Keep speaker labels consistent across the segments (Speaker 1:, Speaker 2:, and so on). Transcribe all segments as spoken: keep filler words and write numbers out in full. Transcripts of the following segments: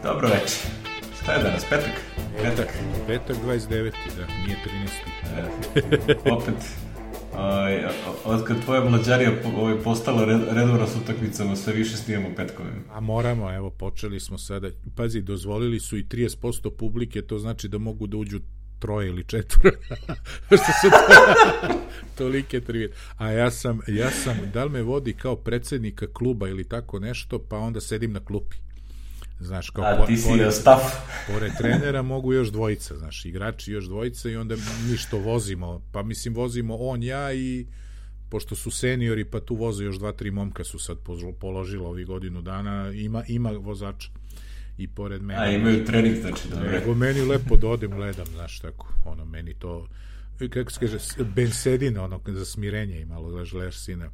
Speaker 1: Dobro večer. Šta je danas, petak?
Speaker 2: Petak, petak dvadeset deveti, da, nije trinaesti.
Speaker 1: E, opet, ovaj, otkad tvoja mlađarija ovaj, postala red, redovna s utakmicama, sve više snimamo petkovima.
Speaker 2: A moramo, evo, počeli smo sada. Pazi, dozvolili su i trideset posto publike, to znači da mogu da uđu troje ili četvore. Što su to, tolike trivije. A ja sam, ja sam, da li me vodi kao predsednika kluba ili tako nešto, pa onda sedim na klupi. Znaš, kao
Speaker 1: a ti si pored, staff.
Speaker 2: Pored trenera mogu još dvojica, znaš, igrači još dvojica i onda mi što vozimo, pa mislim vozimo on, ja i pošto su seniori, pa tu voze još dva, tri momka su sad položila ovih godinu dana, ima, ima vozača i pored mene.
Speaker 1: A imaju trening, znači, dobro.
Speaker 2: Nego meni lepo da odem, gledam, znaš, tako, ono, meni to, kako se kaže, bensedina, ono, za smirenje i malo gledaš sina.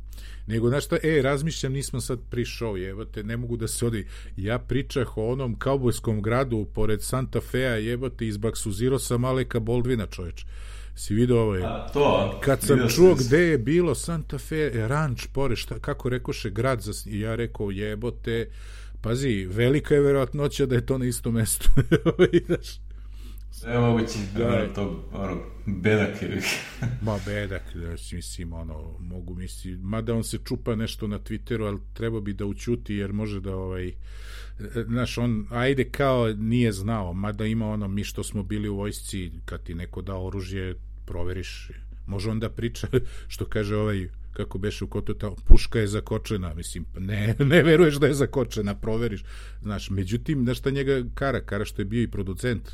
Speaker 2: Nego, znaš šta, e, razmišljam, nismo sad pri show, jebote, ne mogu da se odi, ja pričah o onom kaubojskom gradu pored Santa Fea, jebote, izbaksuzirao sam Aleka Baldwina, čoveč. Si vidio ovo je?
Speaker 1: A, to,
Speaker 2: kad sam čuo gde je bilo Santa Fe, ranč, pored, šta, kako rekoše, grad, za, ja rekao, jebote, pazi, velika je verovatnoća da je to na isto mesto. Znaš,
Speaker 1: sve moguće, da, to, ono, bedak je.
Speaker 2: Ma bedak, da, mislim, ono, mogu misli, mada on se čupa nešto na Twitteru, ali treba bi da učuti, jer može da, ovaj, znaš, on, ajde kao nije znao, mada ima ono, mi što smo bili u vojsci, kad ti neko da oružje, proveriš, može on da priča, što kaže ovaj, kako beše u kotu, ta puška je zakočena, mislim, ne, ne veruješ da je zakočena, proveriš, znaš, međutim, znaš šta njega kara, kara što je bio i producent,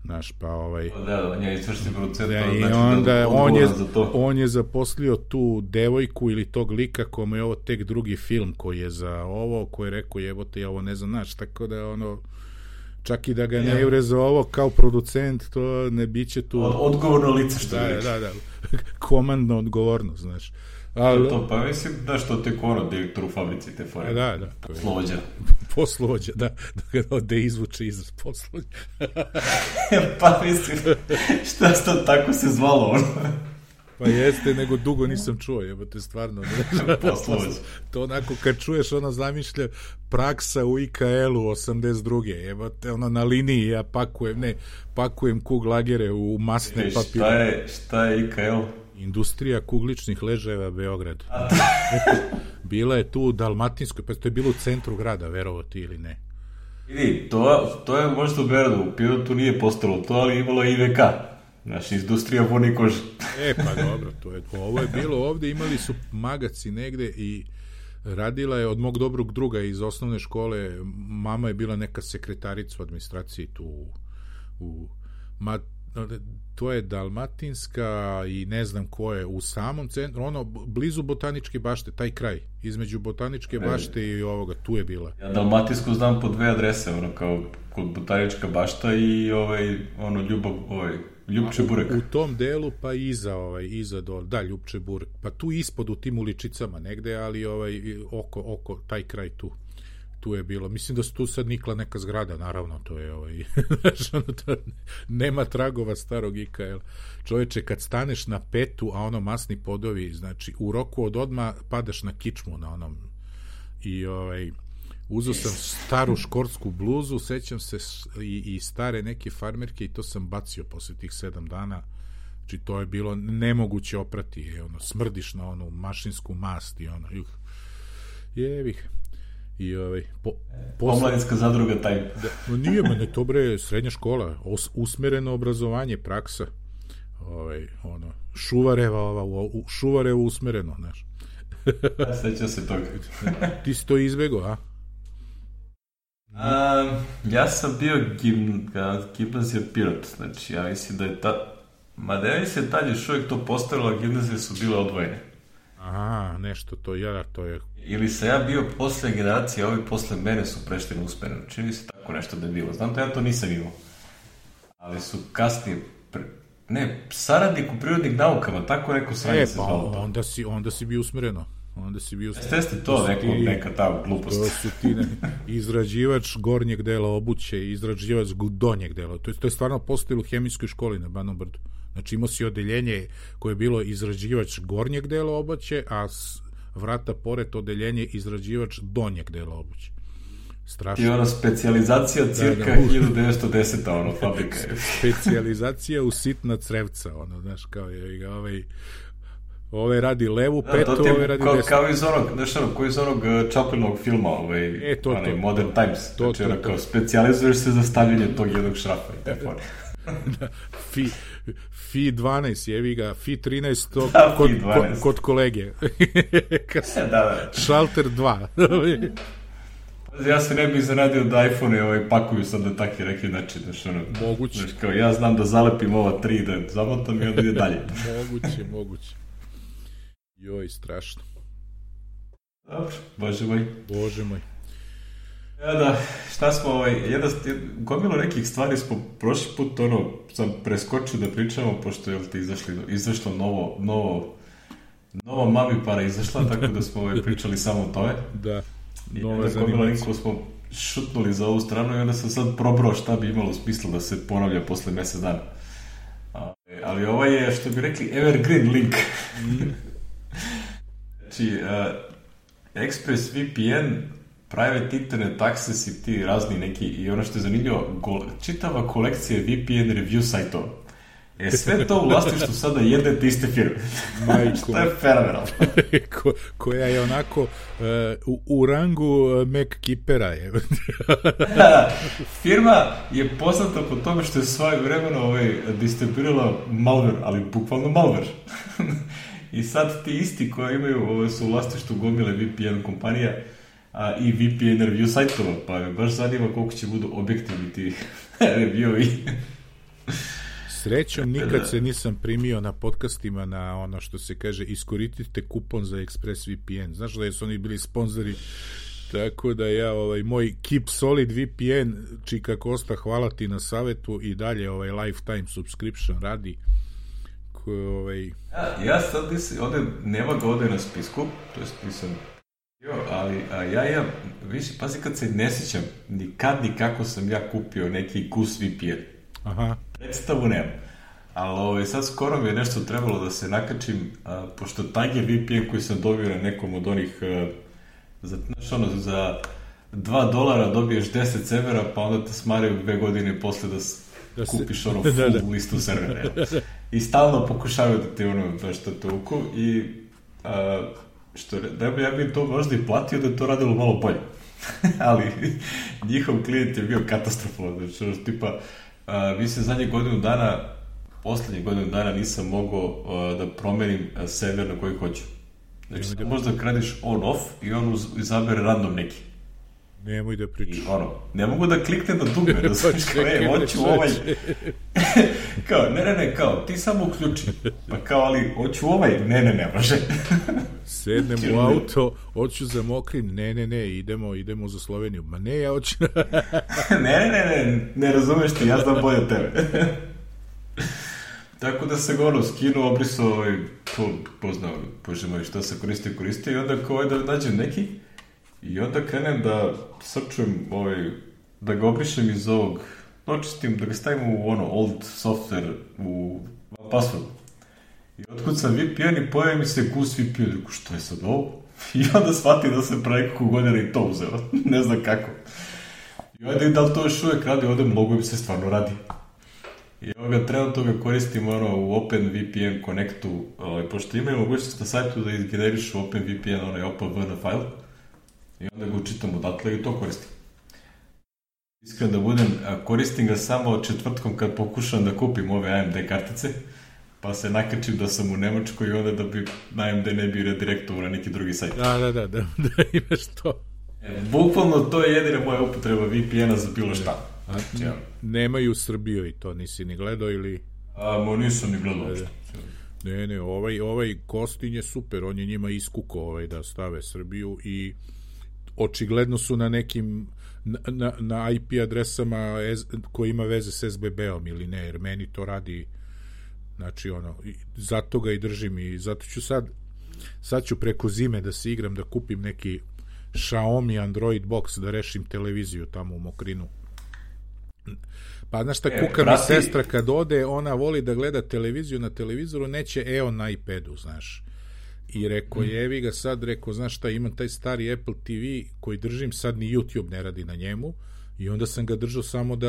Speaker 2: znaš, pa ovaj...
Speaker 1: Da, on je izvršni producent,
Speaker 2: da,
Speaker 1: znači
Speaker 2: i onda
Speaker 1: da
Speaker 2: on je,
Speaker 1: za to.
Speaker 2: On je zaposlio tu devojku ili tog lika kome je ovo tek drugi film koji je za ovo, koji je rekao, jebote, ja ovo ne znam, znaš, tako da ono... Čak i da ga ne jure za ovo kao producent, to ne biće tu...
Speaker 1: Odgovorno lice, što
Speaker 2: da,
Speaker 1: je
Speaker 2: da, da, komandna odgovornost, znaš. Ali,
Speaker 1: to, pa mislim da što te ono, direktor u fabrici te fore.
Speaker 2: Da, da.
Speaker 1: Poslovođa.
Speaker 2: Poslovođa, da. Da, da izvuče izraz poslovođa.
Speaker 1: Pa mislim, šta to tako se zvalo ono?
Speaker 2: Pa jeste, nego dugo nisam čuo, jebote, stvarno.
Speaker 1: Poslovođa.
Speaker 2: To onako, kad čuješ, ono zamišlja praksa u I K L-u osamdeset druge, jebote, ono na liniji, ja pakujem, ne, pakujem kuglagere u masne papire.
Speaker 1: Šta je, šta je I K L?
Speaker 2: Industrija kugličnih ležajeva Beograd. Bila je tu u Dalmatinskoj, pa to je bilo u centru grada, verovo ti ili ne.
Speaker 1: Vidi, to, to je možda u Beogradu, u Pirotu nije postalo to, ali imalo I V K. Naša industrija voni kože.
Speaker 2: E, pa dobro, to je, ovo je bilo ovde, imali su magaci negde i radila je od mog dobrog druga iz osnovne škole, mama je bila neka sekretarica u administraciji tu u, ma, to je Dalmatinska i ne znam ko je, u samom centru, ono, blizu Botaničke bašte, taj kraj, između Botaničke bašte i ovoga, tu je bila.
Speaker 1: Ja Dalmatinsku znam po dve adrese, ono, kao kod Botanička bašta i ovaj, ono, Ljubav, ovaj, Ljupče burek.
Speaker 2: U, u tom delu, pa iza, ovaj, iza dol, da, Ljupče burek, pa tu ispod u tim uličicama negde, ali ovaj, oko, oko, taj kraj tu. Tu je bilo, mislim da su tu sad nikla neka zgrada, naravno, to je ovaj, to, nema tragova starog I K L. Čoveče, kad staneš na petu, a ono masni podovi, znači, u roku od odma padaš na kičmu na onom i ovaj, uzeo sam staru škortsku bluzu, sećam se i, i stare neke farmerke i to sam bacio posle tih sedam dana, znači to je bilo nemoguće oprati, ono, smrdiš na onu mašinsku mast i ono, juh, jevih. I ovaj po,
Speaker 1: posle... Omladinska zadruga taj.
Speaker 2: Da, no nije mene to bre srednja škola, os, usmereno obrazovanje, praksa. Ovaj ono Šuvareva ova u Šuvarevo usmereno, znaš.
Speaker 1: Sećam se toga.
Speaker 2: Ti si to izbegao, a?
Speaker 1: a ja sam bio gim, gimnazija Pirot, znači ja mislim da je ta mada ja mislim tad još uvijek to postavila, gimnazije su bile odvojene.
Speaker 2: Aha, nešto to, ja, to je...
Speaker 1: Ili sam ja bio posle generacije, a ovi posle mene su prešli na usmereno. Čini se tako nešto da je bilo. Znam da ja to nisam imao. Ali su kasnije... Pre... Ne, saradnik u prirodnih naukama, tako neko sranje
Speaker 2: e,
Speaker 1: se zvalo to.
Speaker 2: Onda si, onda si bio usmereno. Onda si bio...
Speaker 1: Jeste ste to, to neko, ti, neka ta glupost.
Speaker 2: To su ti ne, izrađivač gornjeg dela obuće i izrađivač donjeg dela. To je, to je stvarno postojilo u hemijskoj školi na Banom Brdu. Znači imao si odeljenje koje je bilo izrađivač gornjeg dela obuće, a s vrata pored odeljenje izrađivač donjeg dela obuće. strašno.
Speaker 1: I ona specijalizacija cirka
Speaker 2: da, da, uh.
Speaker 1: hiljadu devetsto deseta ono, fabrika je.
Speaker 2: Specijalizacija u sitna crevca, ono, znaš, kao je ovaj... Ove radi levu
Speaker 1: da,
Speaker 2: petu,
Speaker 1: je,
Speaker 2: ove radi
Speaker 1: kao,
Speaker 2: desnu.
Speaker 1: Kao iz onog, znaš ono, kao iz onog uh, Chaplinovog filma, ovaj,
Speaker 2: e, to,
Speaker 1: onaj,
Speaker 2: to,
Speaker 1: Modern
Speaker 2: to,
Speaker 1: Times.
Speaker 2: to,
Speaker 1: znači,
Speaker 2: to,
Speaker 1: ono,
Speaker 2: to.
Speaker 1: kao, specijalizuješ se za stavljanje tog jednog šrafa i te fore.
Speaker 2: Da, fi, fi dvanaest, jevi ga, fi trinaest to
Speaker 1: da,
Speaker 2: kod,
Speaker 1: fi
Speaker 2: kod, kod kolege.
Speaker 1: da, da.
Speaker 2: Šalter dva.
Speaker 1: Ja se ne bih zanadio da iPhone-e ovaj, pakuju sad na taki neki način. Znaš, ono,
Speaker 2: moguće.
Speaker 1: Znaš, kao, ja znam da zalepim ova tri, da zamotam i onda ide dalje.
Speaker 2: moguće, moguće. Joj, strašno.
Speaker 1: Dobro, bože moj.
Speaker 2: Bože moj.
Speaker 1: Ja da, šta smo, ovaj, jedna, gomilo nekih stvari smo prošli put, ono, sam preskočio da pričamo, pošto je ti izašli, izašlo novo, novo, nova Mami Para izašla, tako da smo ovaj, pričali samo o tome.
Speaker 2: Da,
Speaker 1: nova zanimacija. Smo šutnuli za ovu stranu i onda sam sad probrao šta bi imalo smisla da se ponavlja posle mesec dana. Ali ovaj je, što bi rekli, evergreen link. Mm. Znači, uh, ExpressVPN, private internet access i ti razni neki, i ono što je zanimljivo, go, čitava kolekcija V P N review sajtova. E, sve to u vlasništvu sada jedne te iste firme.
Speaker 2: Majko.
Speaker 1: Što je fenomenalno.
Speaker 2: Ko, koja je onako uh, u, u rangu MacKeepera je.
Speaker 1: Firma je poznata po tome što je svoje vremeno ovaj, distribuirala malware, ali bukvalno malware. I sad ti isti koji imaju ovaj, su u vlasništvu gomile V P N kompanija a, i V P N review sajtova, pa me baš zanima koliko će budu objektivni ti review-i.
Speaker 2: Srećom, nikad se nisam primio na podcastima na ono što se kaže iskoristite kupon za ExpressVPN. Znaš da su oni bili sponzori, tako da ja, ovaj, moj Keep Solid V P N, Čika Kosta, hvala ti na savetu i dalje ovaj lifetime subscription radi. Ko, ovaj...
Speaker 1: ja, ja sad nisam, ovde, nema ga ovde na spisku, to jest nisam jo, ali a ja imam, više, pazi kad se ne sjećam, nikad nikako sam ja kupio neki Goose V P N. Aha. Predstavu nemam. Ali ovaj, sad skoro mi je nešto trebalo da se nakačim, a, pošto Tiger V P N koji sam dobio na nekom od onih, a, za, znaš ono, za dva dolara dobiješ deset servera, pa onda te smaraju dve godine posle da, da se... kupiš ono full da, da. listu servera. I stalno pokušavaju da te ono, da što te uku i a, što, da bi ja bi to možda i platio da je to radilo malo bolje. Ali njihov klijent je bio katastrofalan, znači ono, tipa Uh, mislim, zadnje godinu dana, poslednje godinu dana nisam mogao uh, da promenim uh, server na koji hoću. Znači, da možda kradiš on-off i on uz, izabere random neki.
Speaker 2: Nemoj da pričaš.
Speaker 1: I ono, ne mogu da kliknem na dugme, da znaš kao, e, hoću ovaj... kao, ne, ne, ne, kao, ti samo uključi. Pa kao, ali, hoću ovaj, ne, ne, ne, može.
Speaker 2: Sednem u auto, hoću za Mokrin, ne, ne, ne, idemo, idemo za Sloveniju. Ma ne, ja hoću...
Speaker 1: ne, ne, ne, ne, ne razumeš ti, ja znam bolje od tebe. Tako da se govorio, skinu, obrisao, ovaj, to, poznao, bože moj, šta se koristio, koristio, i onda kao da nađem neki, i onda krenem da srčujem, ovaj, da ga obrišem iz ovog, očistim, da ga stavim u ono, old software, u password. I otkucam V P N i pojavi mi se Goose V P N, rekao, što je sad ovo? I onda shvati da se preko godina i to uzeo, ne znam kako. I onda i da li to još uvek radi, ovde mnogo im se stvarno radi. I ovoga trenutno ga koristim ono, u OpenVPN Connectu, ovaj, pošto imaju mogućnost na sajtu da izgenerišu OpenVPN, onaj O P V N file, i onda ga učitam odatle i to koristim. Iskreno da budem, koristim ga samo četvrtkom kad pokušam da kupim ove A M D kartice, pa se nakačim da sam u Nemačkoj i onda da bi na A M D ne bi redirektovao na neki drugi sajt.
Speaker 2: Da, da, da, da, da imaš to.
Speaker 1: E, bukvalno to je jedina moja upotreba V P N-a za bilo šta.
Speaker 2: Znači, ja. Nemaju Srbiju i to nisi ni gledao ili...
Speaker 1: A, mo nisam ni gledao uopšte.
Speaker 2: Ne, ne, ovaj, ovaj Kostin je super, on je njima iskuko ovaj, da stave Srbiju i očigledno su na nekim na, na, na I P adresama koji ima veze s S B B-om ili ne, jer meni to radi, znači ono, zato ga i držim i zato ću sad sad ću preko zime da se igram, da kupim neki Xiaomi Android box da rešim televiziju tamo u Mokrinu. Pa znaš šta, kuka mi sestra kad ode, ona voli da gleda televiziju na televizoru, neće E O na iPadu, znaš. I rekao, jevi ga sad, rekao, znaš šta, imam taj stari Apple T V koji držim, sad ni YouTube ne radi na njemu, i onda sam ga držao samo da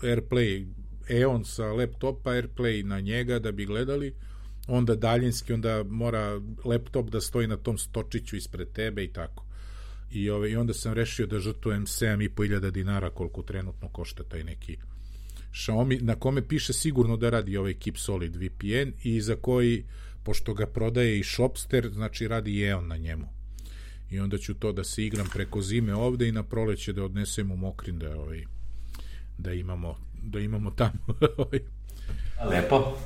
Speaker 2: AirPlay, Eon sa laptopa, AirPlay na njega da bi gledali, onda daljinski, onda mora laptop da stoji na tom stočiću ispred tebe i tako. I, ove, i onda sam rešio da žrtvujem sedam i po hiljada dinara koliko trenutno košta taj neki Xiaomi, na kome piše sigurno da radi ovaj Keep Solid V P N i za koji, pošto ga prodaje i Shopster, znači radi i Eon na njemu. I onda ću to da se igram preko zime ovde i na proleće da odnesem u Mokrin da, ovaj, da imamo da imamo tamo.
Speaker 1: Lepo.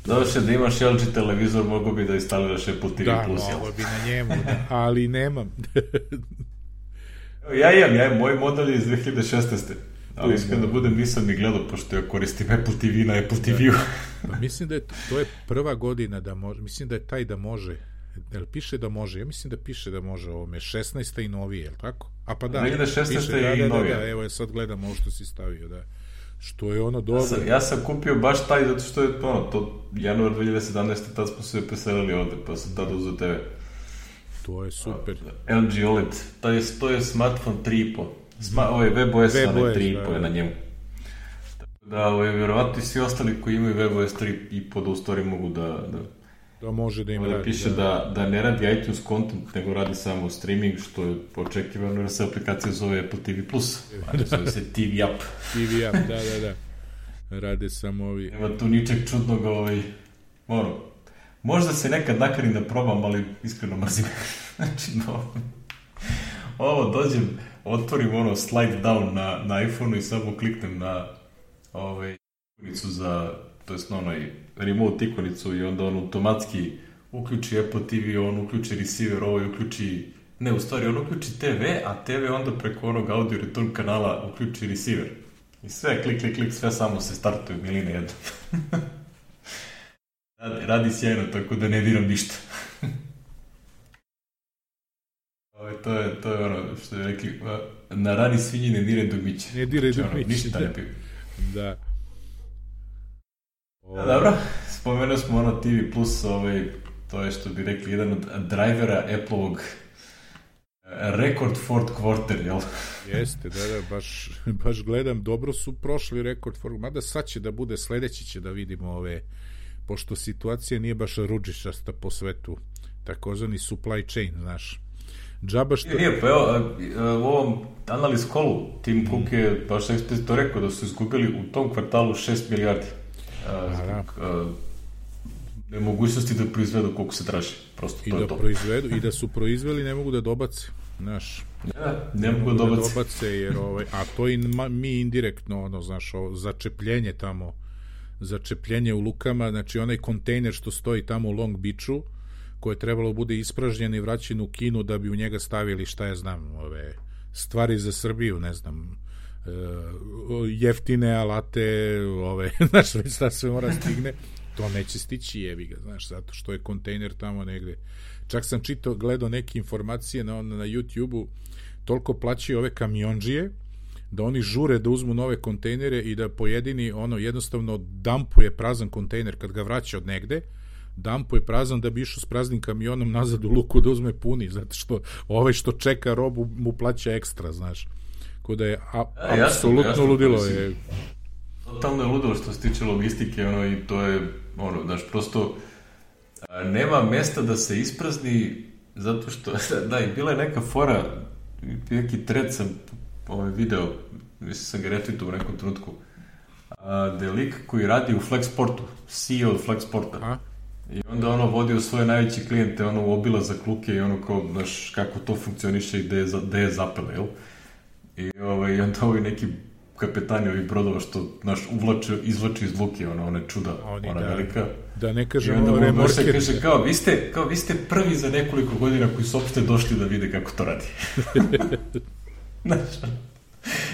Speaker 1: Došle da imaš L G televizor, mogu bi da instaliraš Apple T V
Speaker 2: da,
Speaker 1: Plus.
Speaker 2: Da, mogu bi na njemu, da, ali nemam.
Speaker 1: Ja imam, ja imam, moj model je iz dve hiljade šesnaeste. Ali iskreno da budem, nisam ni gledao, pošto ja koristim Apple T V na Apple T V-u.
Speaker 2: Pa mislim da je, to je prva godina da može, mislim da je taj da može, jel piše da može, ja mislim da piše da može ovome, šesnaesta i novije, jel tako? A pa da,
Speaker 1: dve hiljade šesnaeste
Speaker 2: piše, da,
Speaker 1: i
Speaker 2: da,
Speaker 1: novije.
Speaker 2: Da, da, evo je sad gledam ovo što si stavio, da. Što je ono dobro.
Speaker 1: Ja sam, ja sam kupio baš taj, zato što je ono, to januar dve hiljade sedamnaeste. tad smo se preselili ovde, pa sam tada uzeo te ve.
Speaker 2: To je super.
Speaker 1: L G O L E D, to je, to je smartphone tri i po. Sma, ovaj WebOS, onaj tri i po je na njemu. Da, ovaj, vjerovatno i svi ostali koji imaju WebOS tri i po da u stvari mogu da... da
Speaker 2: da može da im
Speaker 1: radi.
Speaker 2: radi.
Speaker 1: Piše da, da, da ne radi iTunes content, nego radi samo streaming, što je očekivano jer se aplikacija zove Apple T V Plus, a ne zove se T V App.
Speaker 2: T V App, da, da, da. Rade samo ovi...
Speaker 1: Nema tu ničeg čudnog, ovaj... Ono, možda se nekad nakarim da probam, ali iskreno mrzim. Znači, no... Ovo, dođem, otvorim ono slide down na, na iPhone-u i samo kliknem na ovaj, ikonicu za, to jest na onaj remote ikonicu i onda on automatski uključi Apple T V, on uključi receiver, ovaj uključi, ne, u stvari on uključi te ve, a te ve onda preko onog audio return kanala uključi receiver. I sve, klik, klik, klik, sve samo se startuju, miline jedno. radi, radi sjajno, tako da ne diram ništa. To je, to je ono što je rekli, na rani svinji ne dire dugmiće.
Speaker 2: Ne dire
Speaker 1: znači,
Speaker 2: dugmiće,
Speaker 1: ono, ništa
Speaker 2: da.
Speaker 1: ne piju.
Speaker 2: Da.
Speaker 1: O... da. Dobro, spomenuo smo ono T V Plus, ovaj, to je što bi rekli, jedan od drivera Apple-ovog record fourth quarter, jel?
Speaker 2: Jeste, da, da, baš, baš gledam, dobro su prošli record fourth, mada sad će da bude, sledeći će da vidimo ove, pošto situacija nije baš ružičasta po svetu, takozvani supply chain, znaš. Džaba što...
Speaker 1: Nije, pa evo, u ovom analiz kolu Tim Cook je baš eksplicitno rekao da su izgubili u tom kvartalu šest milijardi zbog nemogućnosti da proizvedu koliko se traži. Prosto
Speaker 2: I
Speaker 1: to
Speaker 2: da
Speaker 1: je to.
Speaker 2: Proizvedu, i da su proizveli ne mogu da dobace. Znaš,
Speaker 1: ja, ne, ne mogu da dobace.
Speaker 2: Da dobace jer, ovaj, a to i mi indirektno, ono, znaš, ovo, začepljenje tamo, začepljenje u lukama, znači onaj kontejner što stoji tamo u Long Beachu, koje je trebalo bude ispražnjen i vraćen u Kinu da bi u njega stavili, šta ja znam, ove stvari za Srbiju, ne znam, e, jeftine alate, ove, znaš, već šta sve mora stigne, to neće stići, jebi ga, znaš, zato što je kontejner tamo negde. Čak sam čitao, gledao neke informacije na, na YouTube-u, toliko plaćaju ove kamionđije, da oni žure da uzmu nove kontejnere i da pojedini, ono, jednostavno dampuje prazan kontejner kad ga vraća od negde, dampo je prazan da bi išao s praznim kamionom nazad u luku da uzme puni, zato što ovaj što čeka robu mu plaća ekstra, znaš. Ko da je a,
Speaker 1: ja,
Speaker 2: apsolutno
Speaker 1: jasno,
Speaker 2: ludilo
Speaker 1: jasno,
Speaker 2: je.
Speaker 1: Totalno je ludilo što se tiče logistike, ono, i to je, ono, znaš, prosto a, nema mesta da se isprazni, zato što, da, i bila je neka fora, neki thread sam ovaj video, mislim sam ga retweetao u nekom trenutku, a, da je lik koji radi u Flexportu, C E O od Flexporta. A? I onda ono vodio svoje najveće klijente, ono obilazak luke i ono kao, znaš, kako to funkcioniše i gde je, gde je zapele, jel? I ovaj, onda ovi neki kapetani ovih brodova što, znaš, uvlače, izvlače iz luke, ono, one čuda,
Speaker 2: Oni,
Speaker 1: ona
Speaker 2: da,
Speaker 1: velika.
Speaker 2: Da ne kažemo remorker.
Speaker 1: I onda kaže, kao vi, ste, kao, vi ste prvi za nekoliko godina koji su opšte došli da vide kako to radi. Znaš,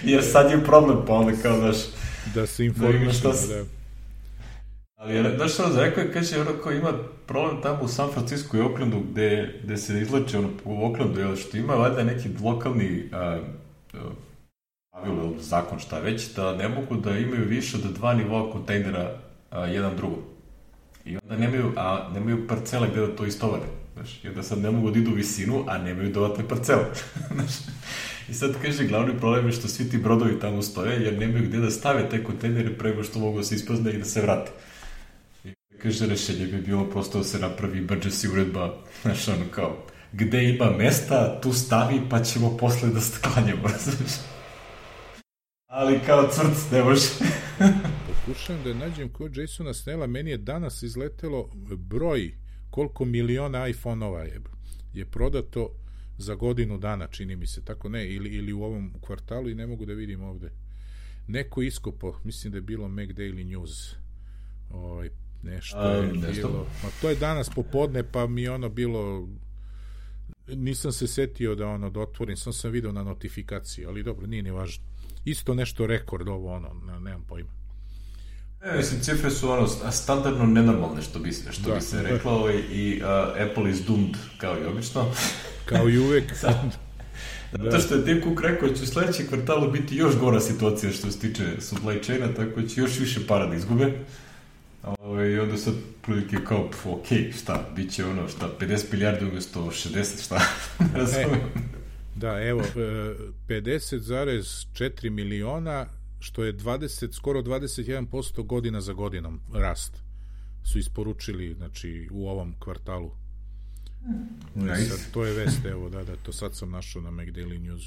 Speaker 1: jer sad je problem, pa onda kao, znaš,
Speaker 2: da se informišemo,
Speaker 1: da. Ali, znaš što, rekao je, kaže, ono kao ima problem tamo u San Francisco i Oaklandu, gde, gde se izlače, ono, u Oaklandu, jel, što ima valjda neki lokalni a, pravilo, zakon, šta već, da ne mogu da imaju više od dva nivoa kontejnera a, jedan drugom. I onda nemaju, a nemaju parcele gde da to istovare. Znaš, i onda sad ne mogu da idu u visinu, a nemaju dodatne parcele. Znaš, i sad kaže, glavni problem je što svi ti brodovi tamo stoje, jer nemaju gde da stave te kontejnere prego što mogu da se isprazne i da se vrate. I kaže, rešenje bi bilo prosto da se napravi emergency uredba, znaš, ono kao, gde ima mesta, tu stavi, pa ćemo posle da sklanjamo, znaš. Ali kao cvrc, ne može.
Speaker 2: Pokušam da nađem kod Jasona Snella, meni je danas izletelo broj koliko miliona iPhone-ova je, je prodato za godinu dana, čini mi se, tako ne, ili, ili u ovom kvartalu i ne mogu da vidim ovde. Neko iskopo, mislim da je bilo Mac Daily News, ovaj, nešto A, je nešto? bilo, ma to je danas popodne, pa mi je ono bilo, nisam se setio da ono da otvorim, sam sam video na notifikaciji, ali dobro, nije ni važno. Isto nešto rekord ovo, ono, nemam pojma.
Speaker 1: E, mislim, cifre su ono standardno nenormalne, što bi, što da, bi se reklo, ovaj, i uh, Apple is doomed, kao i obično.
Speaker 2: Kao i uvek.
Speaker 1: Zato da. što je Tim Cook rekao da će u sledećem kvartalu biti još gora situacija što se tiče supply chaina, tako da će još više para da izgube. Ove, I onda sad prilike kao, pf, ok, šta, bit će ono, šta, pedeset milijardi umjesto šezdeset, šta, ne razumem.
Speaker 2: Da, evo, pedeset zarez četiri miliona, što je dvadeset, skoro dvadeset jedan posto godina za godinom rast, su isporučili, znači, u ovom kvartalu. Nice. Sad, to je vest, evo, da, da, to sad sam našao na Mac Daily News.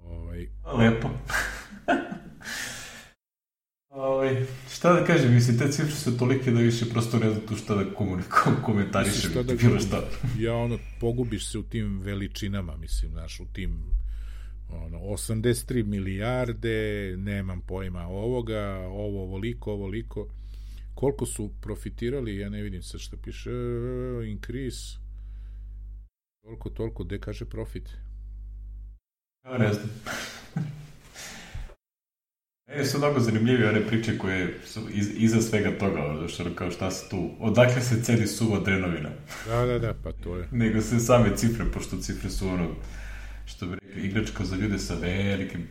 Speaker 2: Ovaj...
Speaker 1: Lepo. Ovaj, šta da kažem, mislim, te cifre su tolike da više prosto ne znam tu šta da komunikujem, komentarišem, šta da bilo šta.
Speaker 2: Ja, ono, pogubiš se u tim veličinama, mislim, znaš, u tim ono, osamdeset tri milijarde, nemam pojma ovoga, ovo ovoliko, ovoliko. Koliko su profitirali, ja ne vidim sad šta piše, increase, toliko, toliko, gde kaže profit?
Speaker 1: Ja ne znam. E, su mnogo zanimljive one priče koje su iz, iza svega toga, zašto kao šta se tu, odakle se cedi suva drenovina.
Speaker 2: Da, da, da, pa to je.
Speaker 1: Nego se same cifre, pošto cifre su ono, što bi rekli, igračka za ljude sa velikim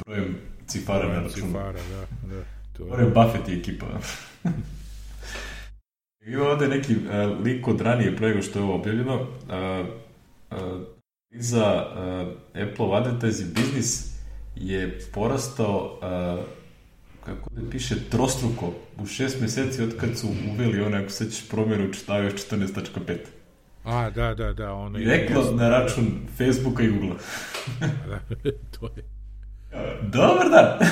Speaker 1: brojem cifara na računu.
Speaker 2: Cifara, da, da. To
Speaker 1: je Buffett i ekipa. Ima ovde neki uh, lik od ranije prego što je ovo objavljeno. Uh, uh, iza uh, Apple advertising biznis je porastao, uh, kako da piše, trostruko u šest meseci od kad su uveli one, ako se ćeš promjenu čitavio četrnaest tačka pet.
Speaker 2: A, da, da, da. Ono
Speaker 1: direktno na račun Facebooka i Googlea.
Speaker 2: Da, to je.
Speaker 1: Dobar dan!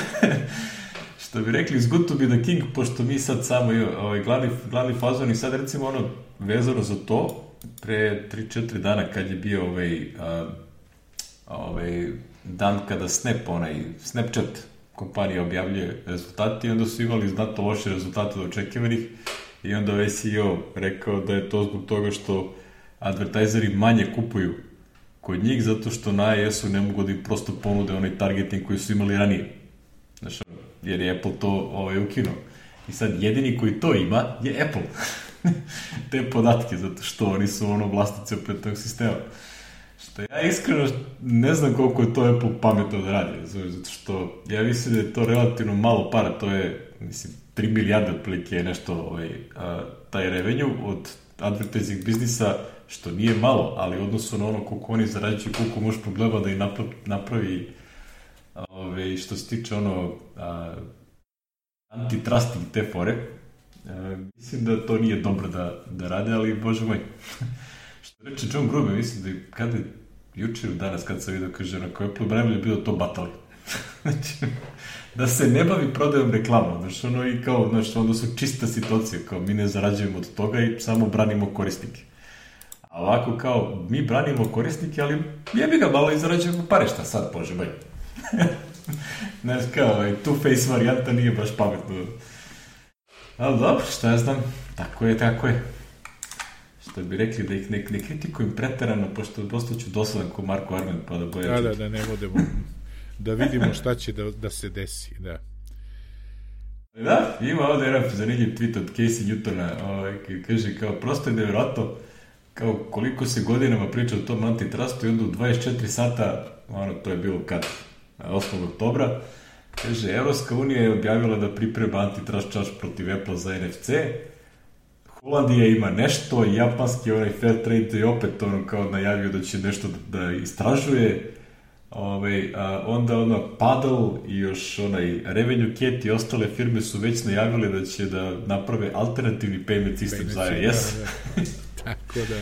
Speaker 1: Što bi rekli, it's good to be the king, pošto mi sad samo ovaj, glavni, glavni fazon i sad recimo ono vezano za to, pre tri četiri dana kad je bio ovaj, a, ovaj dan kada Snap, onaj Snapchat kompanija objavljuje rezultati i onda su imali znatno loše rezultate od očekivanih i onda ovaj C E O rekao da je to zbog toga što advertajzeri manje kupuju kod njih zato što na I S-u ne mogu da im prosto ponude onaj targeting koji su imali ranije. Znaš, jer je Apple to ovaj, ukinuo. I sad jedini koji to ima je Apple. Te podatke, zato što oni su ono vlasnici opet tog sistema. Što ja iskreno ne znam koliko je to Apple pametno da radi, zato što ja mislim da je to relativno malo para, to je, mislim, tri milijarde otprilike je nešto ovaj, a, taj revenue od advertising biznisa, što nije malo, ali odnosno na ono koliko oni zarađuju, koliko može problema da i napravi, napravi ove, što se tiče ono a, antitrusting te fore, a, mislim da to nije dobro da, da rade, ali bože moj. Što reče John Gruber, mislim da kada je jučer danas kad sam vidio, kaže, na koje Apple najbolje bilo to batali. Znači, da se ne bavi prodajom reklamom, znači ono i kao, znači onda su čista situacija, kao mi ne zarađujemo od toga i samo branimo korisnike. A ovako kao, mi branimo korisnike, ali jebi ga malo i zarađujemo pare, šta sad, bože moj. Znači kao, two-face varijanta nije baš pametno. Ali dobro, šta ja znam, tako je, tako je. Što bi rekli da ih ne, ne kritikujem preterano, pošto dosta ću dosadan ko Marko Armen, pa da boje...
Speaker 2: Da, da, da ne budemo, da vidimo šta će da, da se desi, da.
Speaker 1: Da, ima ovdje jedan zanimljiv tweet od Casey Newtona, ovaj, koji kaže kao, prosto je nevjerojatno, kao koliko se godinama priča o tom antitrustu i onda u dvadeset četiri sata, ono, to je bilo kad, osmog oktobra, kaže, Evropska unija je objavila da priprema antitrust charge protiv Apple za N F C, Holandija ima nešto, japanski onaj fair trade je opet ono kao najavio da će nešto da, da istražuje. Ove, a onda ono Paddle i još onaj Revenue Cat i ostale firme su već najavile da će da naprave alternativni payment system za iOS.
Speaker 2: Tako da...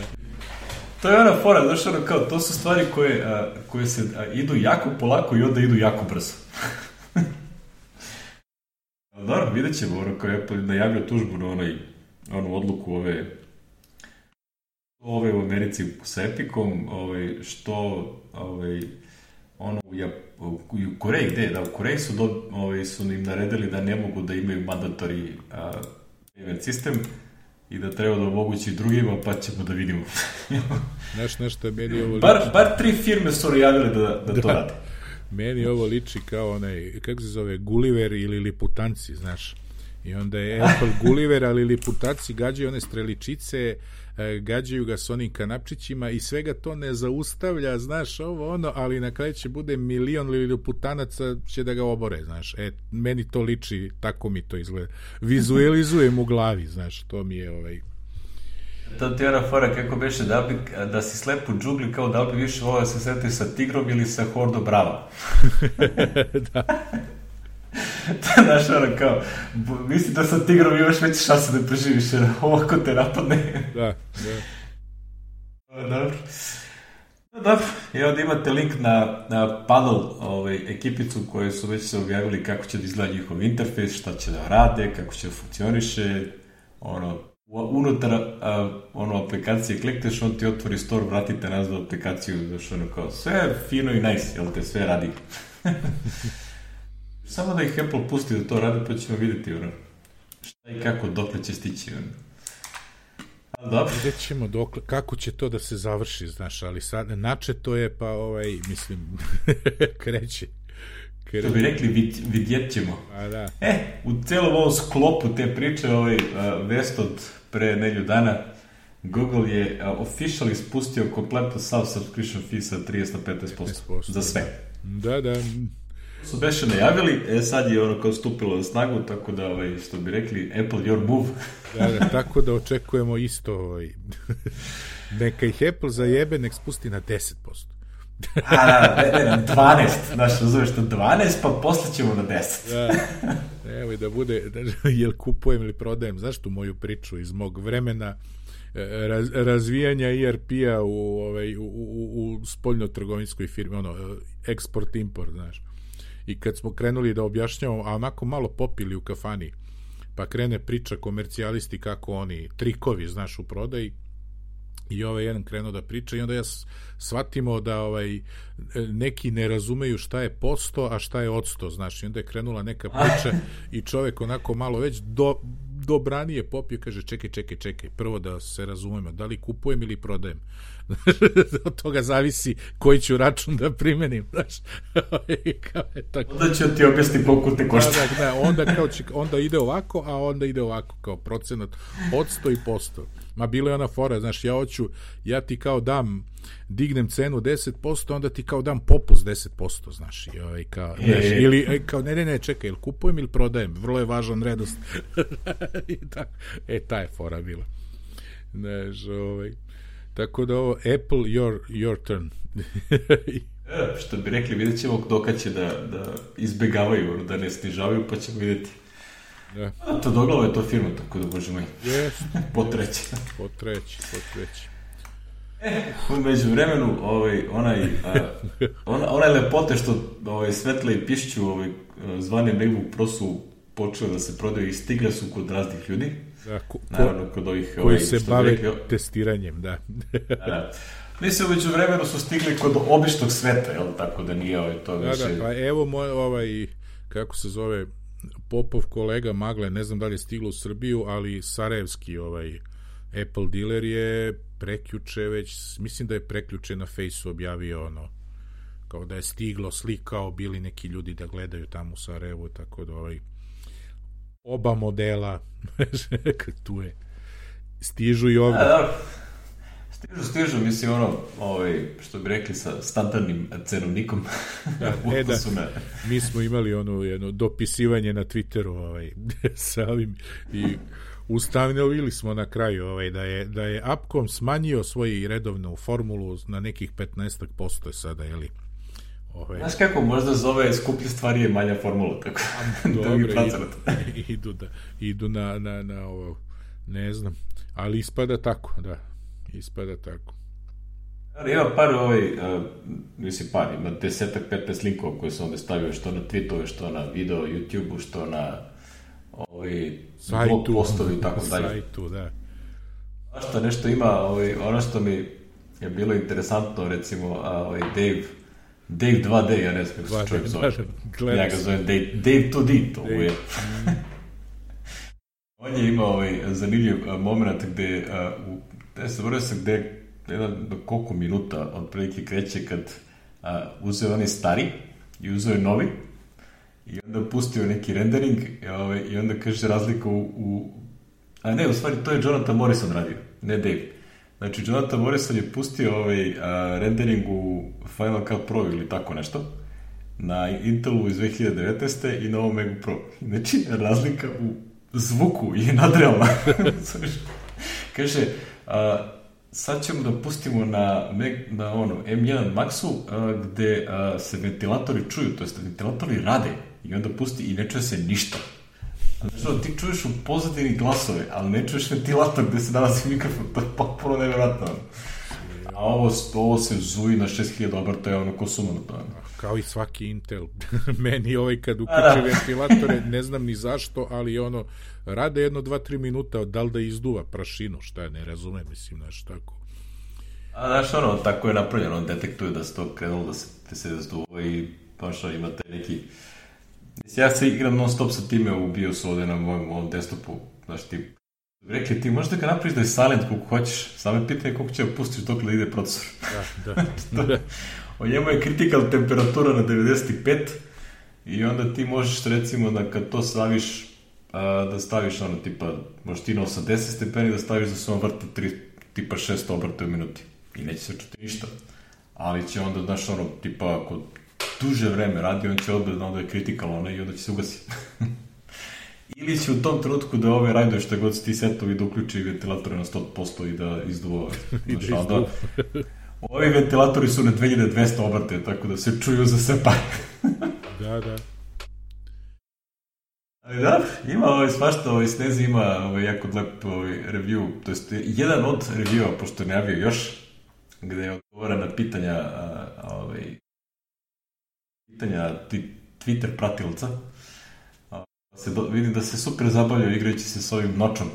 Speaker 1: To je ona fora, znaš ono kao, to su stvari koje, a, koje se a, idu jako polako i onda idu jako brzo. Dobro, vidjet ćemo, ono kao Apple najavio tužbu na onaj, onu odluku ove ove u Americi sa Epicom, ove, što ove, ono, u, u, u Koreji, gde? Da, u Koreji su, do, ove, su im naredili da ne mogu da imaju mandatory a, payment system i da treba da omogući drugima, pa ćemo da vidimo.
Speaker 2: Znaš, nešto je meni ovo liči.
Speaker 1: Bar, bar tri firme su najavile da, da, da to rade.
Speaker 2: Meni ovo liči kao onaj, kako se zove, Gulliver ili Liputanci, znaš. I onda je Apple Gulliver, ali Liputanci gađaju one streličice, gađaju ga s onim kanapčićima i svega to ne zaustavlja, znaš, ovo ono, ali na kraju će bude milion Liputanaca će da ga obore, znaš. E, meni to liči, tako mi to izgleda. Vizualizujem u glavi, znaš, to mi je ovaj...
Speaker 1: To ti je ona fora, kako beše, da, bi, da si slep u džungli, kao da li bi više volio se sreti sa tigrom ili sa Hordo Brava.
Speaker 2: Da.
Speaker 1: Znaš, ono kao, misli da sa tigrom imaš veće šanse da preživiš, jer ovako te napadne.
Speaker 2: Da, da.
Speaker 1: Dobro. Dobro, i onda imate link na, na Paddle ovaj, ekipicu koje su već se objavili kako će da izgleda njihov interfejs, šta će da rade, kako će da funkcioniše, ono, unutar a, ono, aplikacije klikneš, on ti otvori store, vratite nazad aplikaciju, znaš, ono kao, sve fino i nice, jel te, sve radi. Samo da ih Apple pusti da to rade, pa ćemo vidjeti, ono, šta i kako, dokle će stići, ono. Ali dobro.
Speaker 2: Vidjet ćemo dokle, kako će to da se završi, znaš, ali sad, nače to je, pa, ovaj, mislim, kreće.
Speaker 1: Što bi rekli, vid, vidjet ćemo.
Speaker 2: A, da.
Speaker 1: E, u celom ovom sklopu te priče, ovaj, uh, vest od pre nelju dana, Google je uh, officially spustio kompletno sav subscription fee sa trideset na petnaest posto za sve.
Speaker 2: Da, da.
Speaker 1: Su beše najavili, e, sad je ono kao stupilo na snagu, tako da, ovaj, što bi rekli, Apple your move.
Speaker 2: Da, da, tako da očekujemo isto, ovaj, neka ih Apple zajebe, nek spusti na deset posto.
Speaker 1: A, da, ne, ne, na dvanaest, znaš, razumeš, na dvanaest, pa posle ćemo na deset.
Speaker 2: Da, evo i da bude, da, jel kupujem ili prodajem, znaš tu moju priču iz mog vremena, raz, razvijanja E R P-a u, ovaj, u, u, u spoljno-trgovinskoj firmi, ono, export-import, znaš. I kad smo krenuli da objašnjavamo, a onako malo popili u kafani, pa krene priča komercijalisti kako oni, trikovi, znaš, u prodaji, i ovaj jedan krenuo da priča i onda ja shvatimo da ovaj neki ne razumeju šta je posto, a šta je odsto, znaš, i onda je krenula neka priča i čovjek onako malo već do, dobranije popio, kaže čekaj, čekaj, čekaj, prvo da se razumemo, da li kupujem ili prodajem. Od toga zavisi koji ću račun da primenim, znaš.
Speaker 1: Onda ću ti objasniti koliko te košta.
Speaker 2: Da, da, onda, kao će, onda ide ovako, a onda ide ovako, kao procenat odsto i posto. Ma bilo je ona fora, znaš, ja hoću, ja ti kao dam, dignem cenu deset posto, onda ti kao dam popust deset posto, znaš, i ovaj, kao, e, znaš, ili, kao, ne, ne, ne, čekaj, ili kupujem ili prodajem, vrlo je važan redost. I ta, e, ta je fora bila. Znaš, ovaj, tako da ovo, Apple, your, your turn.
Speaker 1: E, što bi rekli, vidjet ćemo doka će da, da izbegavaju, da ne snižavaju, pa ćemo vidjeti. Da. A to doglavo je to firma, tako da, bože moj.
Speaker 2: Yes.
Speaker 1: Potreći.
Speaker 2: Potreći, potreći.
Speaker 1: E, umeđu vremenu, ovaj, onaj, a, ona, onaj lepote što ovaj, Svetle i Pišću ovaj, zvane MacBook Pro su počeli da se prodaju i stigle su kod raznih ljudi.
Speaker 2: Da, ko,
Speaker 1: naravno, kod ovih,
Speaker 2: koji ovaj, se bave rekli, testiranjem, da.
Speaker 1: Da. Mislim, umeđu vremenu su stigli kod običnog sveta, jel, tako da nije ovaj, to
Speaker 2: da,
Speaker 1: više...
Speaker 2: Da, pa evo moj, ovaj, kako se zove, Popov kolega Magle, ne znam da li je stiglo u Srbiju, ali sarajevski ovaj Apple dealer je prekjuče već, mislim da je prekjuče na Fejsu objavio ono, kao da je stiglo, slikao, bili neki ljudi da gledaju tamo u Sarajevu, tako da ovaj oba modela tu je, stižu i ovdje.
Speaker 1: Stižu, stižu, mislim, ono, ovaj, što bi rekli, sa standardnim cenovnikom.
Speaker 2: Da, e, da, na... mi smo imali ono jedno dopisivanje na Twitteru ovaj, sa ovim i ustanovili smo na kraju ovaj, da je, da je Upcom smanjio svoju redovnu formulu na nekih petnaest posto sada, jeli?
Speaker 1: Ove... Znaš kako, možda zove skuplje stvari je manja formula, tako da mi
Speaker 2: pracarate. Idu, da, idu na, na, na ovo, ne znam, ali ispada tako, da, ispada tako.
Speaker 1: Ali ima par ovaj, uh, mislim par, ima desetak, petnaest linkova koje se onda stavio što na tweetove, što na video, YouTube-u, što na ovaj, blog postovi i tako dalje.
Speaker 2: Sajtu, da.
Speaker 1: A što nešto ima, ovaj, ono što mi je bilo interesantno, recimo, ovaj, Dave, Dave dva D, ja ne znam kako se čovjek zove. Ja ga zovem Dave, Dave dva D, to je. On je imao ovaj, zanimljiv uh, moment gde, uh, u, ne se vrlo se gde, jedan do koliko minuta otprilike kreće kad uh, uzeo oni stari i uzeo novi i onda pustio neki rendering i, ovaj, i onda kaže razlika u, u... A ne, u stvari to je Jonathan Morrison radio, ne Dave. Znači, Jonathan Morrison je pustio ovaj, uh, rendering u Final Cut Pro ili tako nešto na Intelu iz dve hiljade devetnaeste. i na ovom Macu Pro. Znači, razlika u zvuku je nadrealna. Kaže, uh, sad ćemo da pustimo na, na ono, M jedan Maxu uh, gde uh, se ventilatori čuju, to jest ventilatori rade i onda pusti i ne čuje se ništa. Znači, ti čuješ u pozadini glasove, ali ne čuješ ventilator gde se nalazi mikrofon, to je potpuno nevjerojatno. A ovo, ovo se zuji na šest hiljada obrta, je ono ko suma na to.
Speaker 2: Kao i svaki Intel. Meni ovaj kad uključe ventilatore, ne znam ni zašto, ali ono, rade jedno, dva, tri minuta, da li da izduva prašinu, šta ne razumem, mislim, znaš, tako.
Speaker 1: A znaš, ono, tako je napravljeno, on detektuje da se to krenulo, da se, da se zduva i baš ono, imate neki... Ja se igram non stop sa time u BIOS ovde na mojom ovom desktopu, znaš ti, rekli ti možeš da ga napraviš da je silent koliko hoćeš, samo je pitanje koliko će da pustiš dok da ide procesor.
Speaker 2: Da, da. da.
Speaker 1: O njemu je critical temperatura na devedeset pet i onda ti možeš recimo da kad to staviš, a, da staviš ono tipa, možeš ti na osamdeset stepeni da staviš da se on vrti tri, tipa šesto obrta u minuti i neće se čuti ništa, ali će onda, znaš ono, tipa ako duže vreme radi, on će odbred da onda je critical ona i onda će se ugasi. Ili će u tom trenutku da ove rajduje šta god si ti setovi da uključi ventilatore na sto posto i da izduva.
Speaker 2: I da izduva.
Speaker 1: Ovi ventilatori su na dve hiljade dvesta obrte, tako da se čuju za sve pare.
Speaker 2: Da, da.
Speaker 1: Ali da, ima ovaj svašta, ovaj Snezi ima ovaj jako lep ovaj review, to jest jedan od reviewa, pošto je najavio još, gde je odgovara na pitanja a, a, ovaj pitanja ti, Twitter pratilca. Se do, vidim da se super zabavljaju igrajući se s ovim nočom.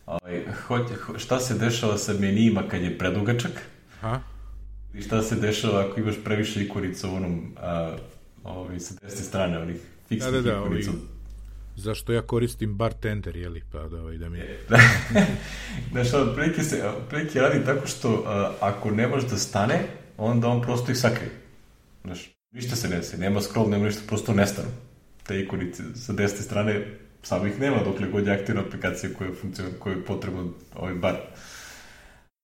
Speaker 1: Ovaj, hoć, šta se dešava sa menijima kad je predugačak?
Speaker 2: Ha?
Speaker 1: I šta se dešava ako imaš previše ikonica u onom a, ovaj, sa desne strane, onih fiksnih da, da, da, ikonica. Ovi,
Speaker 2: zašto ja koristim bartender, jeli? Pa da, ovaj, da mi...
Speaker 1: Znaš, otprilike se otprilike radi tako što a, ako ne može da stane, onda on prosto ih sakrije. Znaš, ništa se ne desi, nema scroll, nema ništa, prosto nestanu. Te ikonice sa desne strane, samo ih nema dokle god je aktivna aplikacija koja je, koja je potrebna ovaj bar.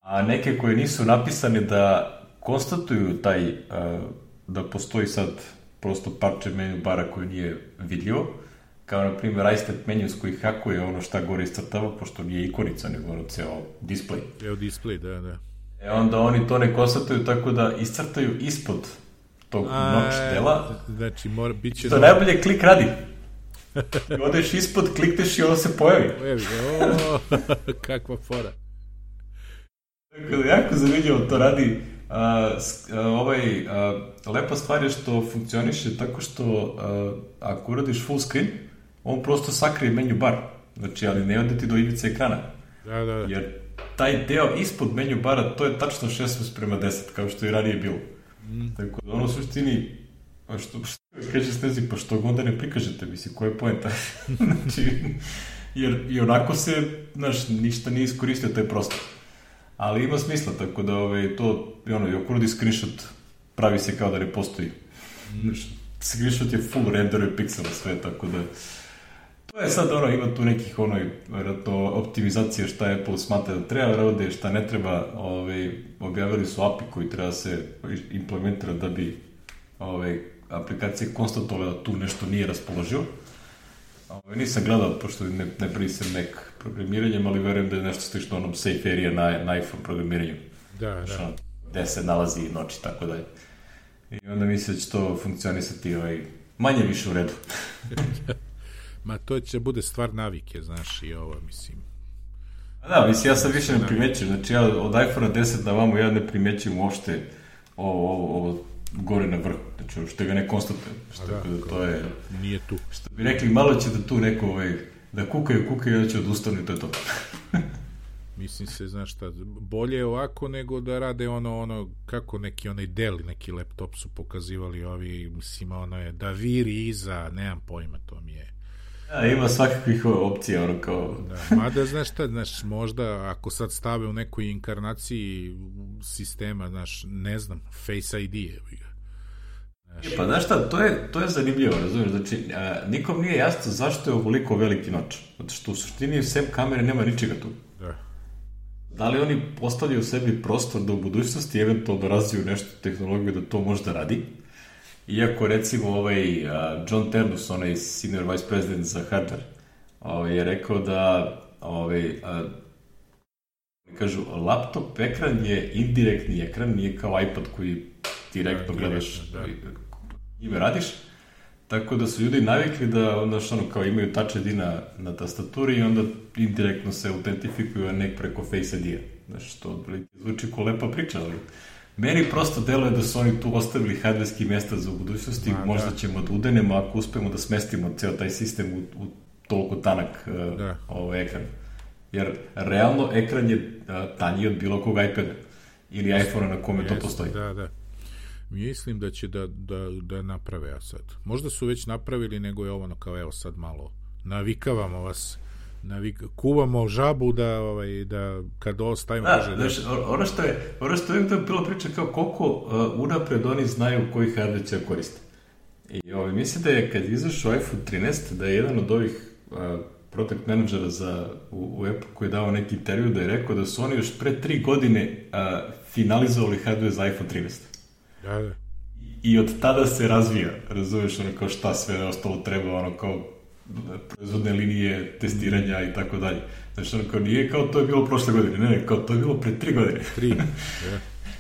Speaker 1: A neke koje nisu napisane da konstatuju taj, uh, da postoji sad prosto parče menu bara koje nije vidljivo, kao na primjer iStat menus koji hakuje ono šta gore iscrtava, pošto nije ikonica, nego ono ceo display.
Speaker 2: Evo display, da, da.
Speaker 1: E onda oni to ne konstatuju tako da iscrtaju ispod tog noć dela.
Speaker 2: Znači, mora, bit će...
Speaker 1: To dobro. Najbolje klik radi. I odeš ispod, klikneš i ono se pojavi.
Speaker 2: Pojavi, o, kakva fora.
Speaker 1: Tako da, jako zanimljivo to radi. A, a, ovaj, a, lepa stvar je što funkcioniše tako što a, ako uradiš full screen, on prosto sakrije menu bar. Znači, ali ne ode ti do ivice ekrana.
Speaker 2: Da, da, da.
Speaker 1: Jer taj deo ispod menu bara, to je tačno šesnaest prema deset, kao što i ranije bilo. Mm. Tako da ono u suštini, što, što kaže Snezi, pa što onda ne prikažete, misli, koja je poenta? Znači, jer i onako se, znaš, ništa nije iskoristio taj prostor. Ali ima smisla, tako da ove, to, ono, i ako uradi screenshot, pravi se kao da ne postoji. Mm. Znaš, screenshot je full renderuje piksela sve, tako da to je sad ono, ima tu nekih ono, vjerojatno, optimizacije šta Apple smatra da treba rade, šta ne treba, ove, objavili su A P I koji treba se implementirati da bi ove, aplikacije konstatovala da tu nešto nije raspoloživo. Ovo, nisam gledao, pošto ne, ne prisam Mac programiranjem, ali verujem da je nešto slično onom safe area na, na iPhone programiranju.
Speaker 2: Da, da.
Speaker 1: Gde se nalazi noć i tako dalje. I onda mislim da će to funkcionisati ovaj, manje više u redu.
Speaker 2: Ma to će bude stvar navike, znaš, i ovo, mislim.
Speaker 1: Da, mislim, ja sad više ne primećujem, znači ja od iPhone deset na vamo ja ne primećujem uopšte ovo, ovo, ovo gore na vrhu, znači što ga ne konstatujem, što da, da, to je...
Speaker 2: Nije tu.
Speaker 1: Što bi rekli, malo će da tu neko, ovaj, da kukaju, kukaju, da će odustanu i to je to.
Speaker 2: Mislim se, znaš šta, bolje je ovako nego da rade ono, ono, kako neki onaj Dell, neki laptop su pokazivali ovi, mislim, ono je da viri iza, nemam pojma, to mi je.
Speaker 1: Ja, ima svakakvih opcija, ono kao...
Speaker 2: Da, mada, znaš šta, znaš, možda ako sad stave u nekoj inkarnaciji sistema, znaš, ne znam, Face I D je.
Speaker 1: Znaš. Pa znaš šta, to je, to je zanimljivo, razumiješ, znači, a, nikom nije jasno zašto je ovoliko veliki noć, zato što u suštini sem kamere nema ničega tu.
Speaker 2: Da.
Speaker 1: Da li oni postavljaju sebi prostor da u budućnosti eventualno razviju nešto tehnologiju da to možda radi? Iako, recimo, ovaj uh, John Ternus, onaj senior vice president za hardware, ovaj, je rekao da ovaj, uh, kažu, laptop ekran je indirektni ekran, nije kao iPad koji direktno da, gledaš da. Ime radiš, tako da su ljudi navikli da onda što ono kao imaju Touch I D na, na tastaturi i onda indirektno se autentifikuju, a ne preko Face I D-a. Znaš, to zvuči ko lepa priča, ali meni prosto deluje da su oni tu ostavili hardverski mesta za budućnosti, a, možda da. ćemo da udenemo ako uspemo da smestimo ceo taj sistem u, u toliko tanak uh, ovaj ekran. Jer realno ekran je uh, tanji od bilo kog iPada ili iPhone-a na kome
Speaker 2: Jeste,
Speaker 1: to postoji.
Speaker 2: Da, da. Mislim da će da, da, da naprave, a sad. Možda su već napravili, nego je ovo ono kao, evo sad malo navikavamo vas, navik, kuvamo žabu da, ovaj, da kad ovo stavimo...
Speaker 1: Da,
Speaker 2: kaže,
Speaker 1: znaš, da... ono što je, ono što je uvijek bilo priča kao koliko uh, unapred oni znaju koji hardware će koristiti. I ovaj, mislim da je kad izašao iPhone trinaest, da je jedan od ovih uh, product menadžera za, u, u Apple koji je dao neki intervju da je rekao da su oni još pre tri godine uh, finalizovali hardware za iPhone trinaest.
Speaker 2: Da, da.
Speaker 1: I od tada se razvija, razumiješ, ono kao šta sve ostalo treba, ono kao proizvodne linije, testiranja i tako dalje. Znači, ono kao nije kao to je bilo prošle godine, ne, ne, kao to je bilo pre tri godine.
Speaker 2: Tri, ja.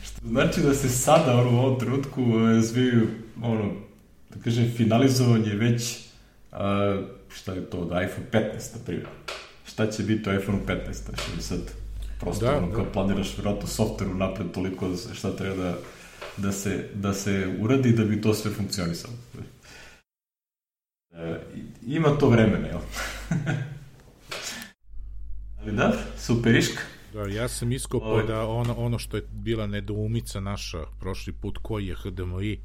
Speaker 1: Što znači da se sada, ono, u ovom trenutku razvijaju, ono, da kažem, finalizovanje već, a, šta je to, od iPhone petnaest, na primjer. Šta će biti u iPhone petnaest, znači sad prosto, da, ono, kao da. Planiraš vjerojatno softveru napred toliko šta treba da da se, da se uradi da bi to sve funkcionisalo. E, ima to vremena, jel? Ali da, superiška.
Speaker 2: Da, ja sam iskopao Ove. da ono, ono što je bila nedoumica naša prošli put, koji je H D M I,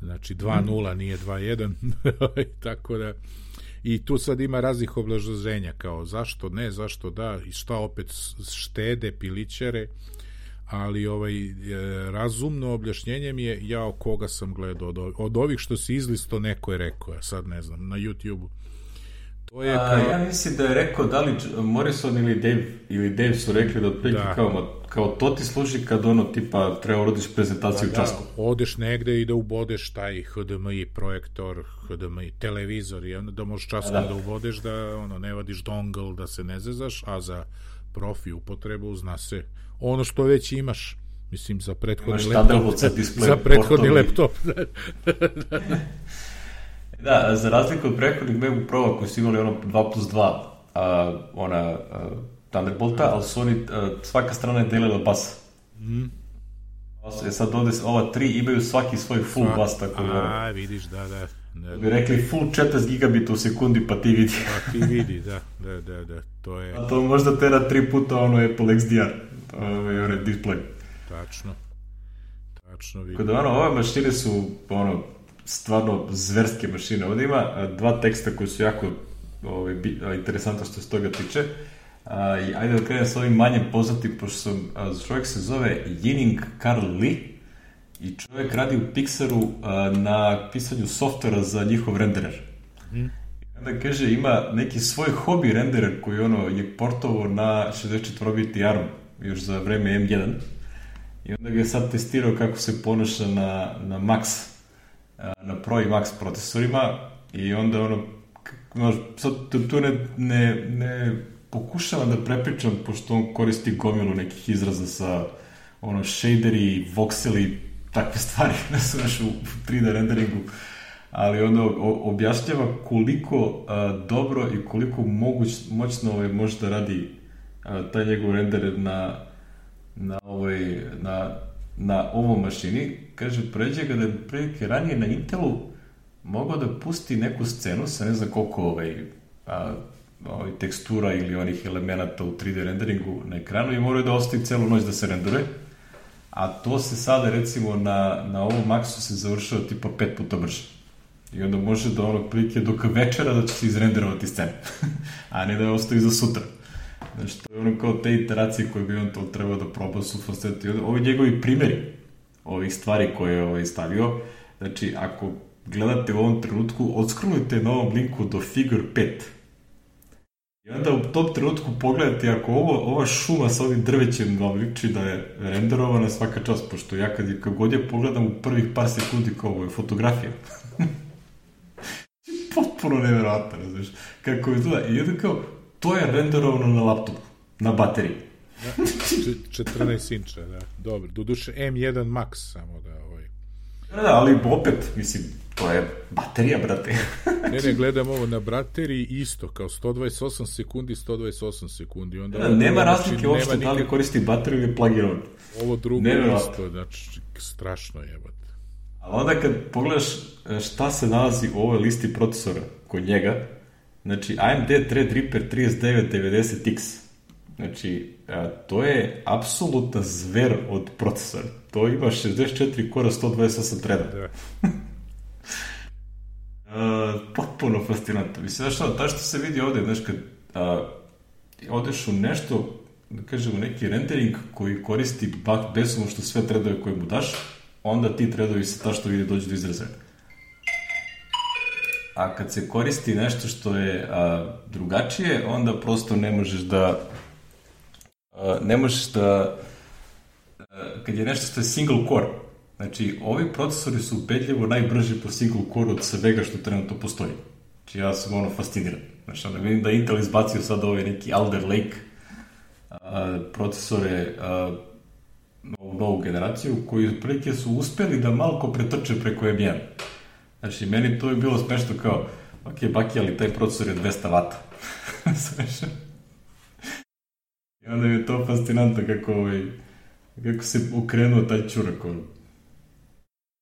Speaker 2: znači dva nula, mm. nije dva jedan, tako da i tu sad ima raznih obrazloženja, kao zašto ne, zašto da, i šta opet štede, pilićere, ali ovaj razumno objašnjenje mi je, ja o koga sam gledao od, od ovih što si izlisto, neko je rekao, ja sad ne znam, na YouTube-u. To je
Speaker 1: A,
Speaker 2: kao...
Speaker 1: ja mislim da je rekao da li Morrison ili Dave, ili Dave su rekli da otprilike da. kao, kao to ti služi kad ono tipa treba urodiš prezentaciju da, u časku.
Speaker 2: Da, odeš negde i da ubodeš taj H D M I projektor, H D M I televizor i onda da možeš časkom da. da ubodeš, da ono ne vadiš dongle, da se ne zezaš, a za profi upotrebu zna se ono što već imaš, mislim, za prethodni laptop. Za prethodni laptop.
Speaker 1: Da, za razliku od prethodnih MacBook Pro koji su imali ono dva plus dva, a, ona a, Thunderbolta, ali su oni, a, svaka strana je delila bas. Mm. E sad ovde, ova tri imaju svaki svoj full Sva, bas, tako da...
Speaker 2: A, vidiš, da, da. da
Speaker 1: bi rekli full četrdeset gigabita u sekundi, pa ti vidi.
Speaker 2: Pa ti vidi, da, da, da, da, to je...
Speaker 1: A to možda tera tri puta ono Apple X D R, ovaj onaj display.
Speaker 2: Tačno, tačno vidim.
Speaker 1: Kada ono, ove mašine su, ono, stvarno zverske mašine. Ovdje ima dva teksta koji su jako ovaj, interesantno što se toga tiče. A, i ajde da krenem s ovim manjem poznatim, pošto sam, a, čovjek se zove Yining Carl Lee i čovjek radi u Pixaru a, na pisanju softvera za njihov renderer. Mm. I onda kaže, ima neki svoj hobi renderer koji ono je portovao na šezdeset četiri biti ARM još za vreme M jedan i onda ga je sad testirao kako se ponaša na, na Max, na Pro i Max procesorima i onda ono znaš, sad tu ne, ne, ne pokušavam da prepričam, pošto on koristi gomilu nekih izraza sa ono, shaderi, voxeli, takve stvari, ne znaš, u tri D renderingu, ali onda objašnjava koliko a, dobro i koliko moguć, moćno ovaj, može da radi a, taj njegov render na, na, ovoj, na, na ovom mašini. Kaže, pređe ga da je prilike ranije na Intelu mogao da pusti neku scenu sa ne znam koliko ovaj, a, ovaj, tekstura ili onih elemenata u tri D renderingu na ekranu i moraju da ostaje celu noć da se rendere. A to se sada, recimo, na, na ovom Maxu se završava tipa pet puta brže. I onda može da onog prilike dok večera da će se izrenderovati scena. A ne da je ostaje za sutra. Znači, to je ono kao te iteracije koje bi on to trebao da proba su fascinantni. Ovo je njegovi primjeri ovih stvari koje je ovaj stavio. Znači, ako gledate u ovom trenutku, odskrolujte na ovom linku do Figure pet. I onda u tom trenutku pogledajte, ako ovo, ova šuma sa ovim drvećem vam liči da je renderovana svaka čast, pošto ja kad, kad god je pogledam u prvih par sekundi kao ovo je fotografija. Potpuno nevjerojatno, ne znaš, kako je to. I onda kao, to je renderovano na laptopu, na bateriji.
Speaker 2: Da, četrnaest inča, da, dobro. Doduše M jedan Max samo da ovaj...
Speaker 1: Da, da, ali opet, mislim, to je baterija, brate.
Speaker 2: Ne, ne, gledam ovo na bateriji isto, kao sto dvadeset osam sekundi, sto dvadeset osam sekundi. Onda
Speaker 1: da, nema razlike uopšte da li koristi bateriju ili plug-in.
Speaker 2: Ovo drugo je isto, znači, strašno jebate.
Speaker 1: Ali onda kad pogledaš šta se nalazi u ovoj listi procesora kod njega, znači A M D Threadripper trideset devet devedeset X, znači to je apsolutna zver od procesora. To ima šezdeset četiri kora, sto dvadeset osam treda. Da. uh, potpuno fascinantno. Mislim, znaš što, ta što se vidi ovde, znaš, kad uh, odeš u nešto, da kažemo, neki rendering koji koristi besomu što sve tredove koje mu daš, onda ti tredovi se ta što vidi dođu do izrazaja. A kad se koristi nešto što je a, drugačije, onda prosto ne možeš da a, ne možeš da a, kad je nešto što je single core, znači ovi procesori su ubedljivo najbrži po single core od svega što trenutno postoji. Znači ja sam ono fasciniran. Znači onda vidim da Intel izbacio sad ovaj neki Alder Lake a, procesore a, novu, novu generaciju, koji otprilike su uspeli da malko pretrče preko M jedan. Znači, meni to je bilo smešno kao, ok, baki, ali taj procesor je dvesta vata. I onda mi je to fascinantno kako, ovaj, kako se ukrenuo taj čurak. Ono.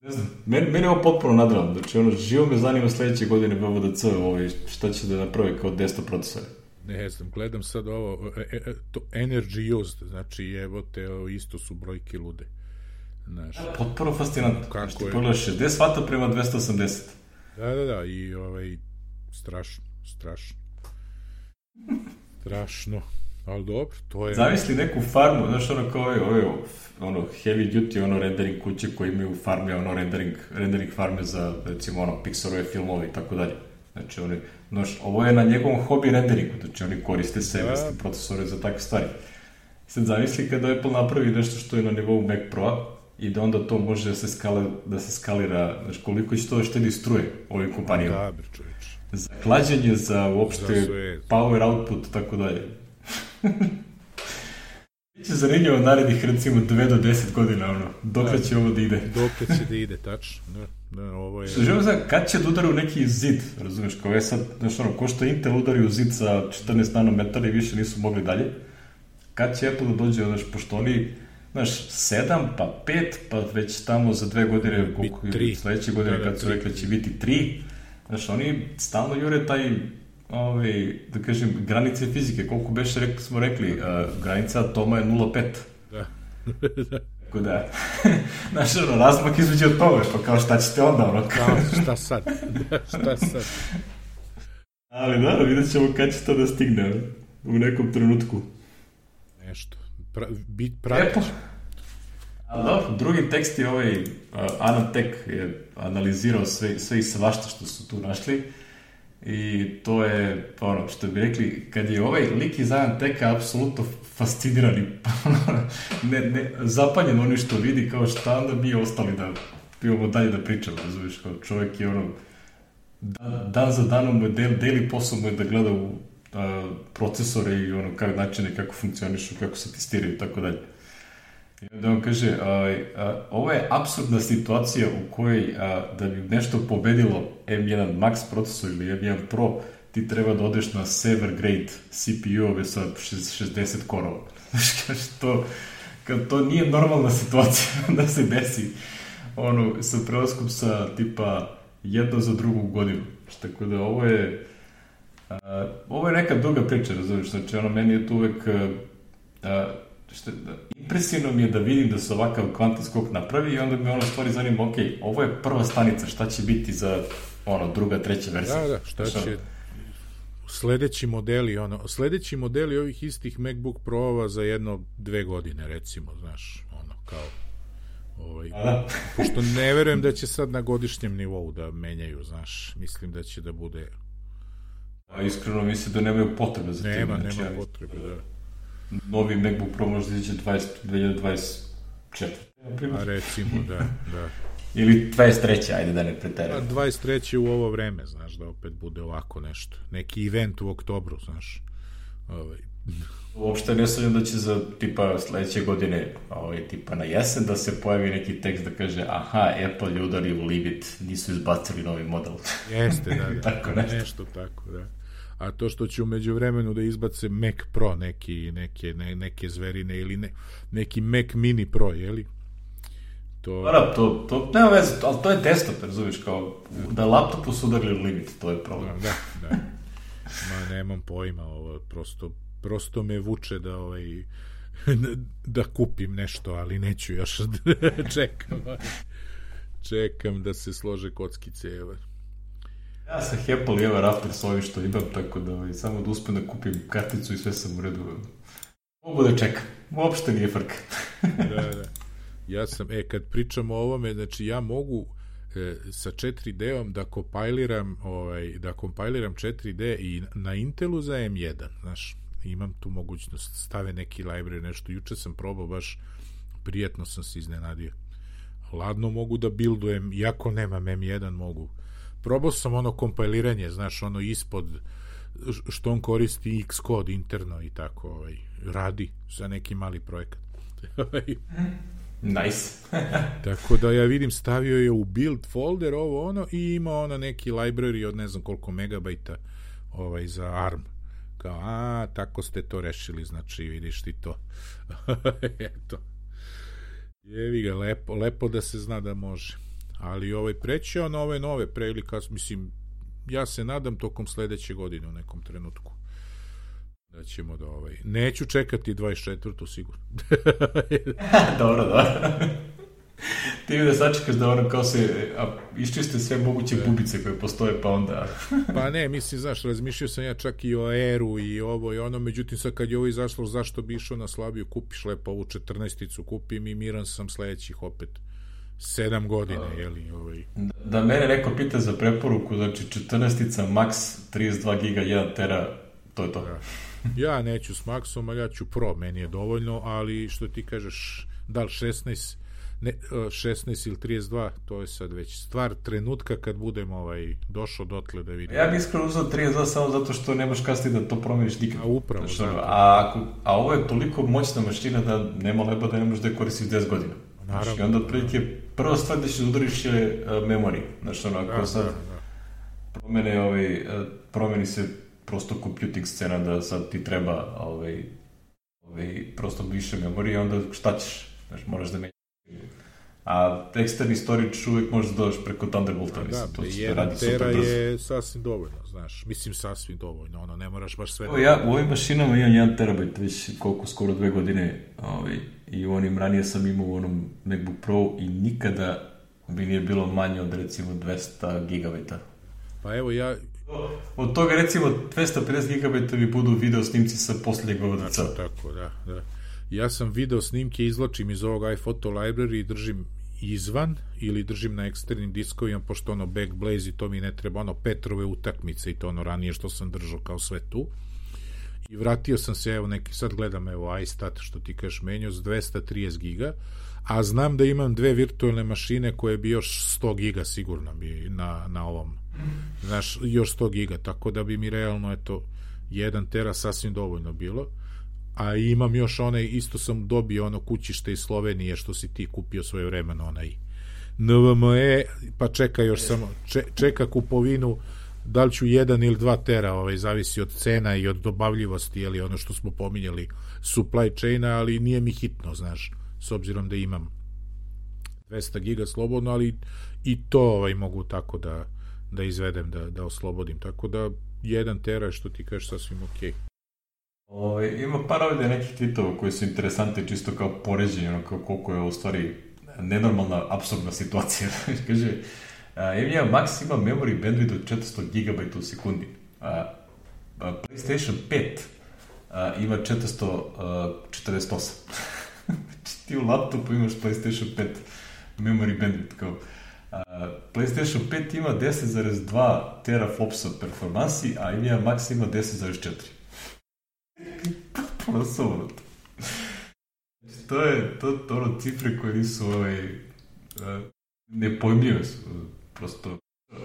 Speaker 1: Ne znam, meni, meni je ovo potpuno nadrealno. Znači, ono, živo me zanima sledeće godine V V D C, ovaj, šta će da napravi kao desktop procesore.
Speaker 2: Ne znam, gledam sad ovo, e, e, to energy used, znači evo te, isto su brojke lude. Znaš,
Speaker 1: ja, potpuno fascinantno.
Speaker 2: Kako
Speaker 1: znači, ti
Speaker 2: je...
Speaker 1: pogledaš šezdeset vata prema dvesta osamdeset.
Speaker 2: Da, da, da, i ovaj, strašno, strašno. Strašno, ali dobro, to je...
Speaker 1: Zavisli neku farmu, znaš, ono kao ove, ove, ono, heavy duty, ono, rendering kuće koji imaju farme, ono, rendering, rendering farme za, recimo, ono, Pixarove filmove i tako dalje. Znači, oni, znaš, ovo je na njegovom hobi renderingu, znači oni koriste serverske procesore za takve stvari. Sad zavisli kada Apple napravi nešto što je na nivou Mac Pro-a i da onda to može da se, skale, da se skalira, znači koliko će to štedi struje ovim kompanijama.
Speaker 2: Da, bre, čovječ.
Speaker 1: Za hlađenje, za uopšte power output, tako dalje. Biće zanimljivo narednih, recimo, dve do deset godina, ono, dokle će ovo da ide.
Speaker 2: Dokle će da ide, tačno, da. Da, ovo je...
Speaker 1: Želim znam, kad će da udari u neki zid, razumeš, kao je sad, znaš ono, ko što Intel udari u zid sa četrnaest nanometara i više nisu mogli dalje, kad će Apple da dođe, znaš, pošto oni, znaš, sedam, pa pet, pa već tamo za dve godine, koliko je sledeće godine, da, da, kad su rekli će biti tri, znaš, oni stalno jure taj, ovaj, da kažem, granice fizike, koliko beše rekli, smo rekli, uh, granica atoma je nula zarez pet.
Speaker 2: Da, da.
Speaker 1: Tako da, znaš, ono, razmak između od toga, pa kao šta ćete onda, ono, kao...
Speaker 2: Šta sad, šta sad?
Speaker 1: Ali da, vidjet ćemo kad će to da stigne, u nekom trenutku.
Speaker 2: Nešto, pra, bit pratić.
Speaker 1: Ali da, drugi tekst je ovaj, uh, Anantech je analizirao sve, sve i svašta što su tu našli i to je, ono, što bi rekli, kad je ovaj lik iz Anantecha apsolutno fasciniran i ne, ne, zapaljen oni što vidi, kao šta onda mi ostali da pivamo dalje da pričamo, razumiješ, kao čovjek je ono, dan, dan za danom mu je del, deli posao mu je da gleda u a, procesore i ono kako načine, kako funkcionišu, kako se testiraju i tako dalje. I onda on kaže, a, a, ovo je apsurdna situacija u kojoj a, da bi nešto pobedilo em jedan Max procesor ili em jedan Pro, ti treba da odeš na server grade C P U-ove sa šezdeset korova. Znaš, kaže, to, kad to nije normalna situacija da se desi ono, sa prelaskom sa tipa jedno za drugu godinu. Tako da ovo je a, ovo je neka duga priča, razumiješ, znači ono, meni je tu uvek a, šta, da, impresivno mi je da vidim da se ovakav kvantan skok napravi i onda me ono stvari zanima, ok, ovo je prva stanica, šta će biti za ono, druga, treća verzija?
Speaker 2: Da, da, šta će sledeći modeli, ono, sledeći modeli ovih istih MacBook Pro-ova za jedno, dve godine, recimo, znaš, ono, kao ovaj, pošto ne verujem da će sad na godišnjem nivou da menjaju, znaš, mislim da će da bude
Speaker 1: a iskreno mislim da nemaju potrebe za
Speaker 2: nema,
Speaker 1: tim.
Speaker 2: Nema, nema potrebe, da.
Speaker 1: Novi MacBook Pro možda izađe dve hiljade dvadeset četvrte.
Speaker 2: A recimo, da, da.
Speaker 1: Ili dvadeset treće, ajde da ne preterujem.
Speaker 2: A dvadeset treće u ovo vreme, znaš, da opet bude ovako nešto. Neki event u oktobru, znaš. Ovaj.
Speaker 1: Uopšte ne sumnjam da će za tipa sledeće godine, ovaj, tipa na jesen, da se pojavi neki tekst da kaže aha, Apple je udario u limit, nisu izbacili novi model.
Speaker 2: Jeste, da, da.
Speaker 1: tako nešto.
Speaker 2: nešto tako, da. A to što će umeđu vremenu da izbace Mac Pro, neki, neke, ne, neke zverine ili ne, neki Mac Mini Pro, jeli? To...
Speaker 1: Da, to, to nema veze, ali to je desktop, razumiješ, kao da laptopu su udarili limit, to je problem.
Speaker 2: Da, da. Ma, nemam pojma, ovo, prosto, prosto me vuče da, ovaj, da kupim nešto, ali neću još, čekam, čekam da se slože kockice, evo.
Speaker 1: Ja sam Apple i ever after s ovim što imam, tako da ovaj, samo da uspem da kupim karticu i sve sam u redu. Mogu da čekam, uopšte nije frka.
Speaker 2: Da, da. Ja sam, e, kad pričam o ovome, znači ja mogu e, sa četiri D-om da kompajliram, ovaj, da kompajliram četiri D i na Intelu za M jedan, znaš, imam tu mogućnost, stave neki library, nešto, juče sam probao, baš prijetno sam se iznenadio. Ladno mogu da buildujem, iako nemam M jedan, mogu. Probao sam ono kompajliranje, znaš, ono ispod, što on koristi Xcode interno i tako, ovaj, radi za neki mali projekat.
Speaker 1: Nice.
Speaker 2: Tako da ja vidim, stavio je u build folder ovo ono i ima ono neki library od ne znam koliko megabajta ovaj, za A R M. Kao, a, tako ste to rešili, znači vidiš ti to. Eto. Jevi ga, lepo, lepo da se zna da može. Ali ovaj prećeo na ove nove pre ili kas, mislim, ja se nadam tokom sledeće godine u nekom trenutku da ćemo da ovaj, neću čekati dvadeset četvrtu sigurno.
Speaker 1: Dobro, dobro. Ti mi da sačekaš da ono kao se a, iščiste sve moguće bubice koje postoje, pa onda...
Speaker 2: Pa ne, mislim, znaš, razmišljao sam ja čak i o Airu i ovo i ono, međutim sad kad je ovo izašlo, zašto bi išao na slabiju, kupiš lepo ovu četrnaesticu, kupim i miran sam sledećih opet sedam godina, a, jeli, ovaj...
Speaker 1: Da, da mene neko pita za preporuku, znači četrnaestica Max, trideset dva giga, jedan tera, to je to.
Speaker 2: Da. Ja neću s Maxom, ali ja ću Pro, meni je dovoljno, ali što ti kažeš, da li šesnaest, ne, šesnaest ili trideset dva, to je sad već stvar trenutka kad budem ovaj, došao dotle da vidim.
Speaker 1: Ja bih iskreno uzao trideset dva samo zato što nemaš kasnije da to promeniš nikad.
Speaker 2: A upravo,
Speaker 1: znači,
Speaker 2: zato.
Speaker 1: A, a ovo je toliko moćna mašina da nema leba da ne možeš da je koristiš deset godina.
Speaker 2: Naravno.
Speaker 1: Znači, onda otprilike prva stvar da ćeš udariš je uh, memory. Znači, ono, ako
Speaker 2: da,
Speaker 1: sad
Speaker 2: da, da.
Speaker 1: promene, ovaj, uh, promeni se prosto computing scena da sad ti treba ovaj, ovaj, prosto više memorije, onda šta ćeš? Znači, moraš da menjaš. A eksterni storage uvek možeš da dođeš preko Thunderbolta.
Speaker 2: Da,
Speaker 1: to
Speaker 2: jedan tera je sasvim dovoljno, znaš. Mislim, sasvim dovoljno, ono, ne moraš baš sve...
Speaker 1: O, ja u ovim mašinama imam jedan terabajt, već koliko, skoro dve godine, ovaj, i u onim ranije sam imao u onom MacBook Pro i nikada bi nije bilo manje od recimo dvesta gigabajta.
Speaker 2: Pa evo, ja...
Speaker 1: Od toga recimo dvesta pedeset gigabajta mi budu video snimci sa posljednjeg O V D C.
Speaker 2: Znači, tako, da, da. Ja sam video snimke, izlačim iz ovog iPhoto library i držim izvan ili držim na eksternim diskovima, pošto ono Backblaze i to mi ne treba, ono Petrove utakmice i to ono ranije što sam držao kao sve tu. I vratio sam se, evo neki, sad gledam, evo iStat, što ti kažeš, menio s dvesta trideset giga, a znam da imam dve virtualne mašine koje bi još sto giga sigurno bi na, na ovom Znaš, još sto giga, tako da bi mi realno, eto, jedan tera sasvim dovoljno bilo. A imam još onaj, isto sam dobio ono kućište iz Slovenije što si ti kupio svoje vremeno, onaj N V M E, pa čeka još samo, če, čeka kupovinu, da li ću jedan ili dva tera, ovaj, zavisi od cena i od dobavljivosti, ili ono što smo pominjali, supply chaina, ali nije mi hitno, znaš, s obzirom da imam dvesta giga slobodno, ali i to ovaj, mogu tako da, da izvedem, da, da oslobodim, tako da jedan tera, što ti kažeš, sasvim okej. Okay.
Speaker 1: O, ima par ovdje nekih tweetova koji su interesantni čisto kao poređenje, ono, kao koliko je u stvari nenormalna, apsurdna situacija. Kaže, Nvidia Max ima memory bandwidth od četiristo gigabajta u sekundi. A, a PlayStation pet a, ima četiristo četrdeset osam. Ti u laptopu imaš PlayStation pet memory bandwidth kao. Uh, PlayStation pet ima deset zarez dva teraflopsa performansi, a Nvidia Max ima deset zarez četiri. Potpuno suvrot. To je to, to ono cifre koje nisu ovaj, uh, nepojmljive su. Prosto. Uh,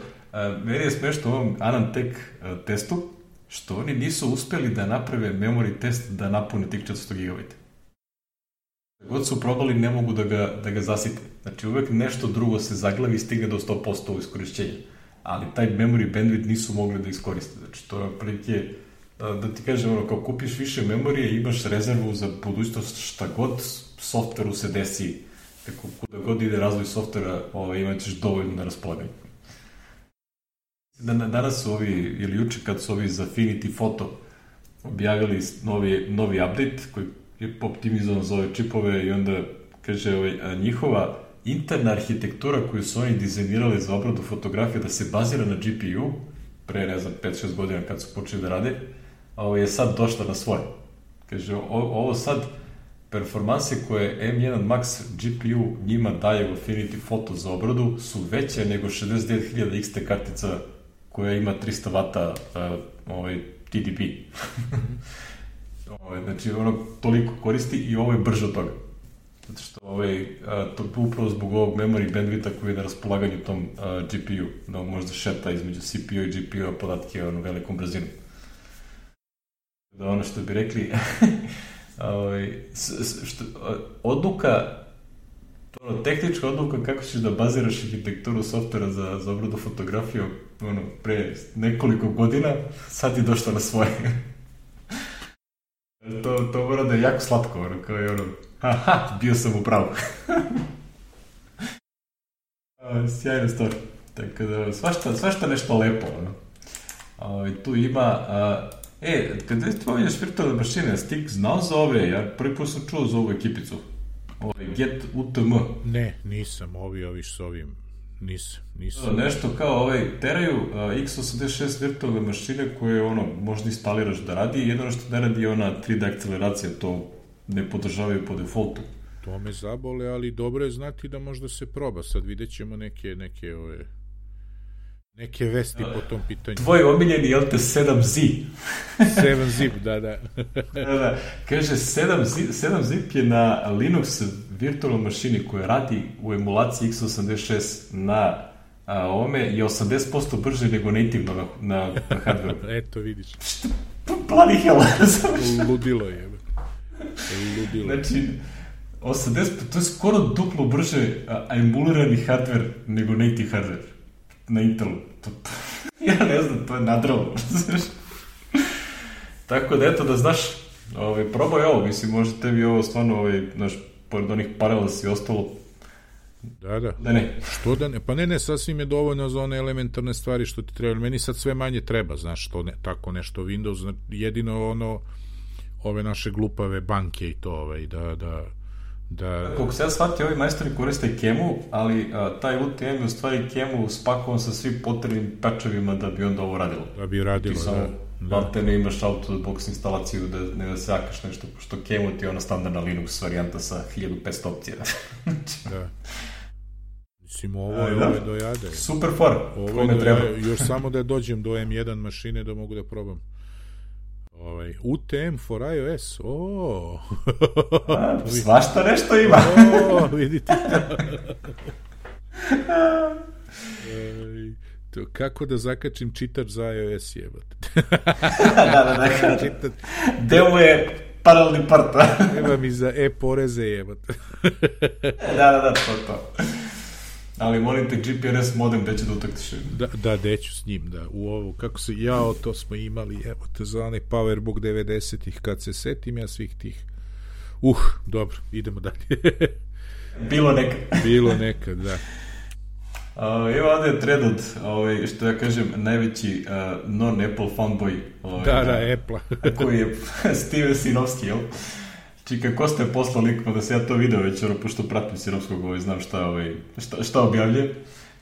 Speaker 1: meni je smešno u ovom Anantech uh, testu što oni nisu uspeli da naprave memory test da napune tih četiristo gigabajta. God su probali, ne mogu da ga, da ga zasite. Znači, uvek nešto drugo se zaglavi i stigne do sto posto u iskorišćenju. Ali taj memory bandwidth nisu mogli da iskoriste. Znači, to je prilike, da ti kažem, ono, kao kupiš više memorije, imaš rezervu za budućnost, šta god softveru se desi, kako kuda god ide razvoj softvera, ovaj, imat ćeš dovoljno na raspolaganju. Danas su ovi, ili juče kad su ovi za Affinity Photo objavili novi, novi update koji je optimizovan za ove čipove i onda kaže ovaj, njihova interna arhitektura koju su oni dizajnirali za obradu fotografije da se bazira na G P U pre, ne znam, pet šest godina kad su počeli da rade, ovo je sad došla na svoje. Kaže, o, ovo sad performanse koje M jedan Max G P U njima daje u Affinity Photo za obradu su veće nego šezdeset devet hiljada X T kartica koja ima tristo vata uh, ovaj, T D P. Ovaj, znači, ono toliko koristi i ovo je brže od toga. Zato što ovaj, a, to upravo zbog ovog memory bandwidtha koji je na raspolaganju tom a, G P U, da možda šeta između C P U i G P U podatke ono velikom brzinu. Da ono što bi rekli, ovaj, što, odluka, ono, tehnička odluka kako ćeš da baziraš arhitekturu softvera za, za obradu fotografiju ono, pre nekoliko godina, sad je došla na svoje. To, to mora da je jako slatko, ono, kao je ono, aha, bio sam u pravu. Sjajna stvar. Tako da, svašta, svašta nešto lepo, ono. O, tu ima, a, e, kada ti pominješ virtualne mašine, Stik znao za ove, ja prvi put sam čuo za ovu ekipicu. Ove, Get U T M.
Speaker 2: Ne, nisam, ovi, ovi s ovim, nisam, nisam.
Speaker 1: Nešto kao, ovaj, teraju a, X osamdeset šest virtualne mašine koje, ono, možda instaliraš da radi i jedno što ne radi je ona tri D akceleracija, to ne podržavaju po defaultu.
Speaker 2: To me zabole, ali dobro je znati da možda se proba. Sad vidjet ćemo neke, neke, ove, neke vesti po tom pitanju.
Speaker 1: Tvoj omiljeni, jel te, sedam Z?
Speaker 2: sedam zip, da, da.
Speaker 1: da, da. Kaže, sedam zip je na Linux virtualnoj mašini koja radi u emulaciji X osamdeset šest na a, ovome je osamdeset posto brže nego nativno na, na, na hardwareu.
Speaker 2: Eto, vidiš.
Speaker 1: Što? Bloody hell.
Speaker 2: Ludilo je. Ludilo.
Speaker 1: Znači, osamdeset, to je skoro duplo brže emulirani hardware nego native hardware na Intelu. To, ja ne znam, to je nadralo. Tako da, eto, da znaš, ovaj, probaj ovo, mislim, možda tebi ovo stvarno, ovaj, znaš, pored onih parallels i ostalo.
Speaker 2: Da, da.
Speaker 1: Da ne.
Speaker 2: Što da ne? Pa ne, ne, sasvim je dovoljno za one elementarne stvari što ti treba. Meni sad sve manje treba, znaš, što ne, tako nešto Windows, jedino ono, ove naše glupave banke i to, ovaj, da, da, da...
Speaker 1: Koliko se ja shvatio, ovi majstori koriste Kemu, ali a, taj U T M je u stvari Kemu spakovan sa svim potrebnim patchovima da bi onda ovo radilo.
Speaker 2: Da bi radilo,
Speaker 1: ti
Speaker 2: da.
Speaker 1: Da te ne imaš out-of-the-box instalaciju, da ne da se jakaš nešto, što Kemu ti je ona standardna Linux varijanta sa hiljadu petsto opcija.
Speaker 2: Da. Mislim, ovo je, da? Ovo je dojade.
Speaker 1: Super for, kome treba.
Speaker 2: Još samo da dođem do M jedan mašine da mogu da probam. Ovaj, U T M for iOS, ooo.
Speaker 1: A, svašta nešto ima.
Speaker 2: O, vidite to. To, kako da zakačim čitač za iOS, jebate.
Speaker 1: Da, da, da.
Speaker 2: Čitat...
Speaker 1: Demo je paralelni part.
Speaker 2: Treba mi za e-poreze, jebate.
Speaker 1: Da, da, da, to, to. Ali molim te, G P R S modem gde će da utaktiš?
Speaker 2: Da, da, deću s njim, da. U ovu, kako se, jao, to smo imali, evo te za onaj Powerbook devedesetih, kad se setim ja svih tih. Uh, dobro, idemo dalje.
Speaker 1: Bilo nekad.
Speaker 2: Bilo nekad, da.
Speaker 1: Uh, evo ovdje je thread od, ovaj, što ja kažem, najveći uh, non-Apple fanboy. Ovaj,
Speaker 2: da, da, Apple.
Speaker 1: koji je Steven Sinovski, jel? Čika, ko ste poslao lik, pa da se ja to video već, ono, pošto pratim Sinovskog, ovaj, znam šta, ovaj, šta, šta objavlje.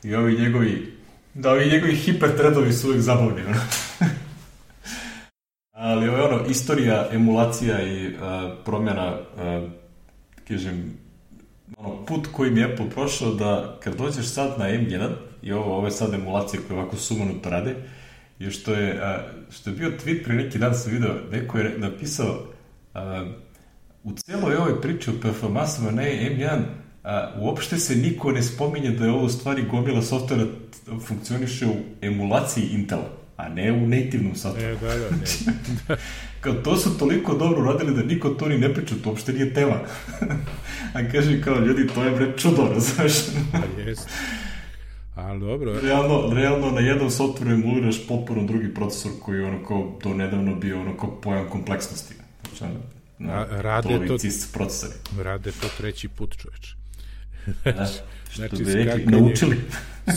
Speaker 1: I ovi njegovi, da, ovi njegovi hiper-threadovi su uvijek zabavni, ono. Ali ovo je ono, istorija, emulacija i uh, promjena, uh, kažem, ono, put kojim je Apple prošao da kad dođeš sad na M jedan i ovo, ovo je sad emulacije koje ovako sumanuto rade, je što je, uh, što je bio tweet pre neki dan sam video, neko je napisao uh, u celoj ovoj priči o performansama na M jedan a, uopšte se niko ne spominje da je ovo stvari gomila softvera funkcioniše u emulaciji Intela, a ne u nativnom softveru.
Speaker 2: E, da, da, ne.
Speaker 1: Kao to su toliko dobro radili da niko to ni ne priča, to uopšte nije tema. A kaže kao ljudi, to je bre čudo, razumeš?
Speaker 2: A jest. Ali dobro.
Speaker 1: Realno, realno na jednom softveru emuliraš potpuno drugi procesor koji je ono kao do nedavno bio ono kao pojam kompleksnosti. Znači,
Speaker 2: Na, rade, to,
Speaker 1: procesori.
Speaker 2: rade to treći put, čoveč.
Speaker 1: Da,
Speaker 2: znači,
Speaker 1: bi rekli, naučili.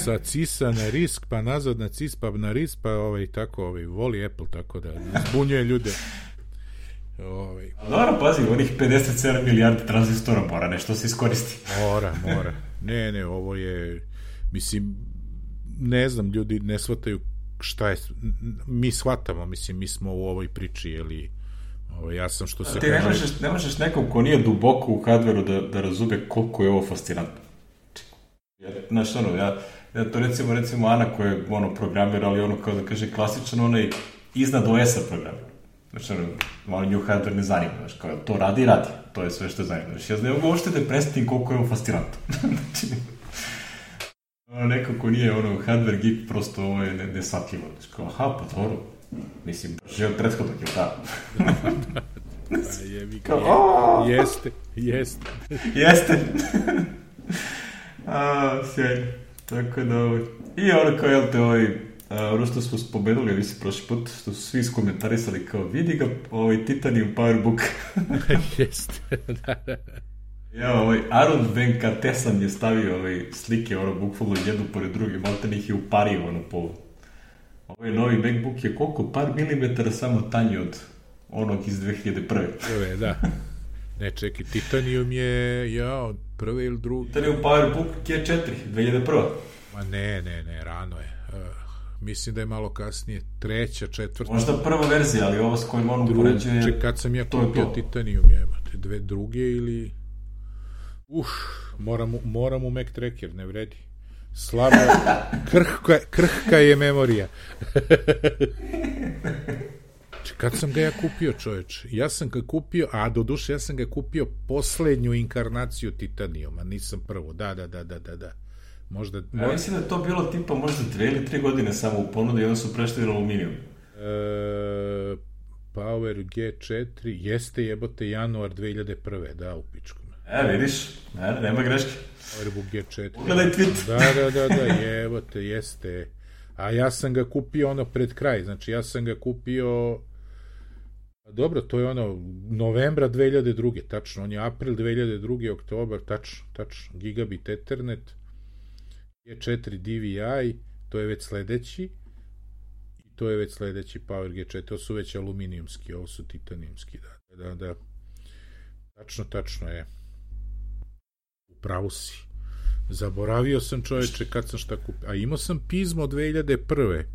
Speaker 2: Sa cisa na risk, pa nazad na cis, pa na risk, pa ovaj, tako, ovaj, voli Apple, tako da zbunjuje ljude. Ovaj.
Speaker 1: Dobro, pazi, onih pedeset sedam milijardi tranzistora mora nešto se iskoristi.
Speaker 2: Mora, mora. Ne, ne, ovo je, mislim, ne znam, ljudi ne shvataju šta je, mi shvatamo, mislim, mi smo u ovoj priči, jeli, ovo, ja sam što se
Speaker 1: ti kaže... ne možeš, ne možeš nekom ko nije duboko u hardveru da, da razume koliko je ovo fascinantno. Ja, znaš, ono, ja, ja to recimo, recimo Ana koja je ono, programer, ali ono, kao da kaže, klasičan onaj iznad O S-a programer. Znači, ono, malo nju hardware ne zanima, znaš, kao to radi i radi. To je sve što zanima. Znači, ja znam uopšte da predstavim koliko je ovo fascinantno. Znači, ono, neko ko nije ono, hardware geek, prosto ovo je nesvatljivo. Znači, kao, aha, pa dobro. Mislim, žel prethodnog je da.
Speaker 2: Pa jebi ga, je, jeste, jeste.
Speaker 1: Jeste. A, sjajno. Tako da, ovaj. I ono kao, jel te, ovaj, ono što smo spomenuli, ja mislim, prošli put, što su svi iskomentarisali kao, vidi ga, ovaj Titanium Powerbook.
Speaker 2: Jeste, da, da.
Speaker 1: Ja, ovaj, Arun Venkatesan je stavio ovaj, slike, ono, bukvalno jednu pored druge, malo te ih je upario, ono, po... Ovaj novi MacBook je koliko? Par milimetara samo tanji od onog iz dve hiljade prve.
Speaker 2: Prve, da. Ne, čekaj, Titanium je, ja, prve ili druge?
Speaker 1: Titanium Powerbook G četiri, dve hiljade prva.
Speaker 2: Ma ne, ne, ne, rano je. Uh, mislim da je malo kasnije, treća, četvrta.
Speaker 1: Možda prva verzija, ali ovo s kojim on upoređuje...
Speaker 2: Čekaj, kad sam ja kupio Titanium, jebate, dve druge ili... Uf, moram, moram u Mac Tracker, ne vredi. Slabo, krhka, krhka je memorija. Kad sam ga ja kupio, čoveč? Ja sam ga kupio, a do duše ja sam ga kupio poslednju inkarnaciju Titaniuma, nisam prvo. Da, da, da, da, da, da. Možda...
Speaker 1: Ja mislim da je to bilo tipa možda dve ili tri godine samo u ponudi i onda su prešli na aluminijum.
Speaker 2: E, Power G četiri, jeste jebote januar dve hiljade prve, da, u pičku.
Speaker 1: E, vidiš, ne, nema greške.
Speaker 2: Powerbook G četiri.
Speaker 1: Ugledaj tweet.
Speaker 2: Da, da, da, da, jebote, jeste. A ja sam ga kupio ono pred kraj, znači ja sam ga kupio, dobro, to je ono novembra dve hiljade druge, tačno, on je april dve hiljade druge, oktobar, tačno, tačno, gigabit Ethernet, G četiri D V I, to je već sledeći, i to je već sledeći Power G četiri, to su već aluminijumski, ovo su titanijumski, da, da, da, tačno, tačno je. Pravo si. Zaboravio sam, čoveče, kad sam šta kupio. A imao sam Pismo dve hiljade prve.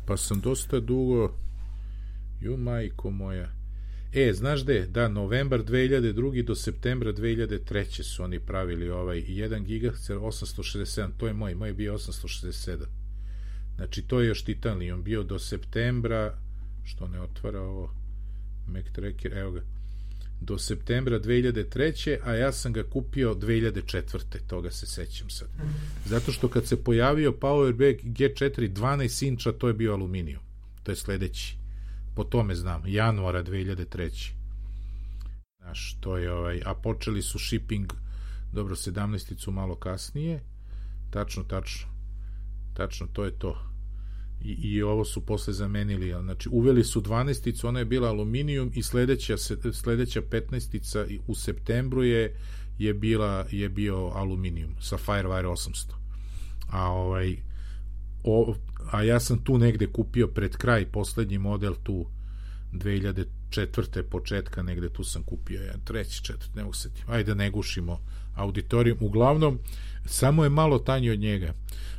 Speaker 2: Pa sam dosta dugo... Ju, majko moja. E, znaš gde? Da, novembar dve hiljade druge do septembra dve hiljade treće su oni pravili ovaj jedan gigaherc osamsto šezdeset sedam. To je moj. Moj je bio osamsto šezdeset sedam. Znači, to je još Titanium bio do septembra... Što ne otvara ovo? Mac Tracker, evo ga. do septembra dve hiljade treće. a ja sam ga kupio dve hiljade četvrte. Toga se sećam sad. Zato što kad se pojavio Powerback G četiri dvanaest inča, to je bio aluminijum. To je sledeći. Po tome znam, januara dve hiljade treće. Znaš, to je ovaj, a počeli su shipping, dobro, sedamnaesticu malo kasnije. Tačno, tačno. Tačno, to je to. I, i ovo su posle zamenili, znači uveli su dvanaesticu, ona je bila aluminijum i sledeća, sledeća petnaestica u septembru je, je, bila, je bio aluminijum sa Firewire osamsto. A ovaj o, a ja sam tu negde kupio pred kraj poslednji model tu dve hiljade četvrte početka, negde tu sam kupio jedan treći, četvrti, ne mogu se setiti. Ajde da ne gušimo auditorijum. Uglavnom, samo je malo tanji od njega.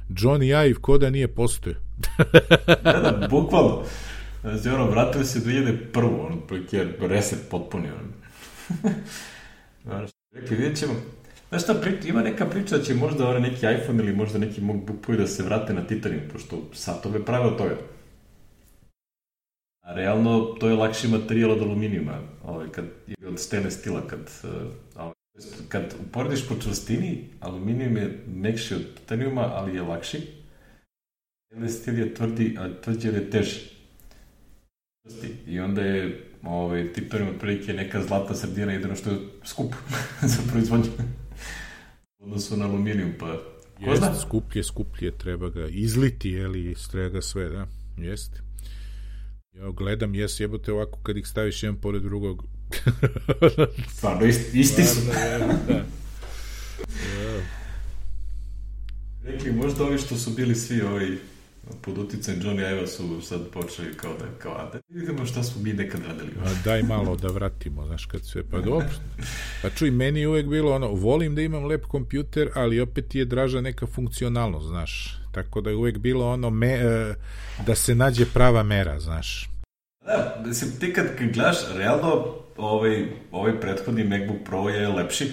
Speaker 2: Johnny Ive ko da nije postoje.
Speaker 1: Da, da, bukvalno. Znači, ono, vratili se dve hiljade prve. ono, je reset potpunio. Rekli, vidjet ćemo. Znaš šta, priča, ima neka priča da će možda ovaj neki iPhone ili možda neki MacBook da se vrate na Titanium, pošto satove prave od toga. A realno, to je lakši materijal od aluminijuma, ovaj, kad, ili od stainless stila, kad, ovaj, kad uporediš po čvrstini, aluminijum je mekši od titanijuma, ali je lakši. Stainless stil je tvrdi, a tvrđer je teži. I onda je ovaj, titanijum otprilike neka zlatna sredina, jedino što je skup za proizvodnju. U odnosu na aluminijum, pa ko zna?
Speaker 2: Jeste, skuplje, skuplje, treba ga izliti, jeli, treba ga sve, da, jeste. Ja gledam, jes, jebote, ovako kad ih staviš jedan pored drugog.
Speaker 1: Stvarno, isti, isti su.
Speaker 2: Da.
Speaker 1: Rekli, možda ovi što su bili svi ovi pod uticajem Johnny Ive su sad počeli kao da, kao, a da vidimo šta smo mi nekad radili.
Speaker 2: A daj malo da vratimo, znaš, kad sve, pa dobro. Pa čuj, meni je uvek bilo ono, volim da imam lep kompjuter, ali opet je draža neka funkcionalnost, znaš. Tako da je uvek bilo ono, me, da se nađe prava mera, znaš.
Speaker 1: Da, mislim, ti kad gledaš, realno, ovaj, ovaj prethodni MacBook Pro je lepši,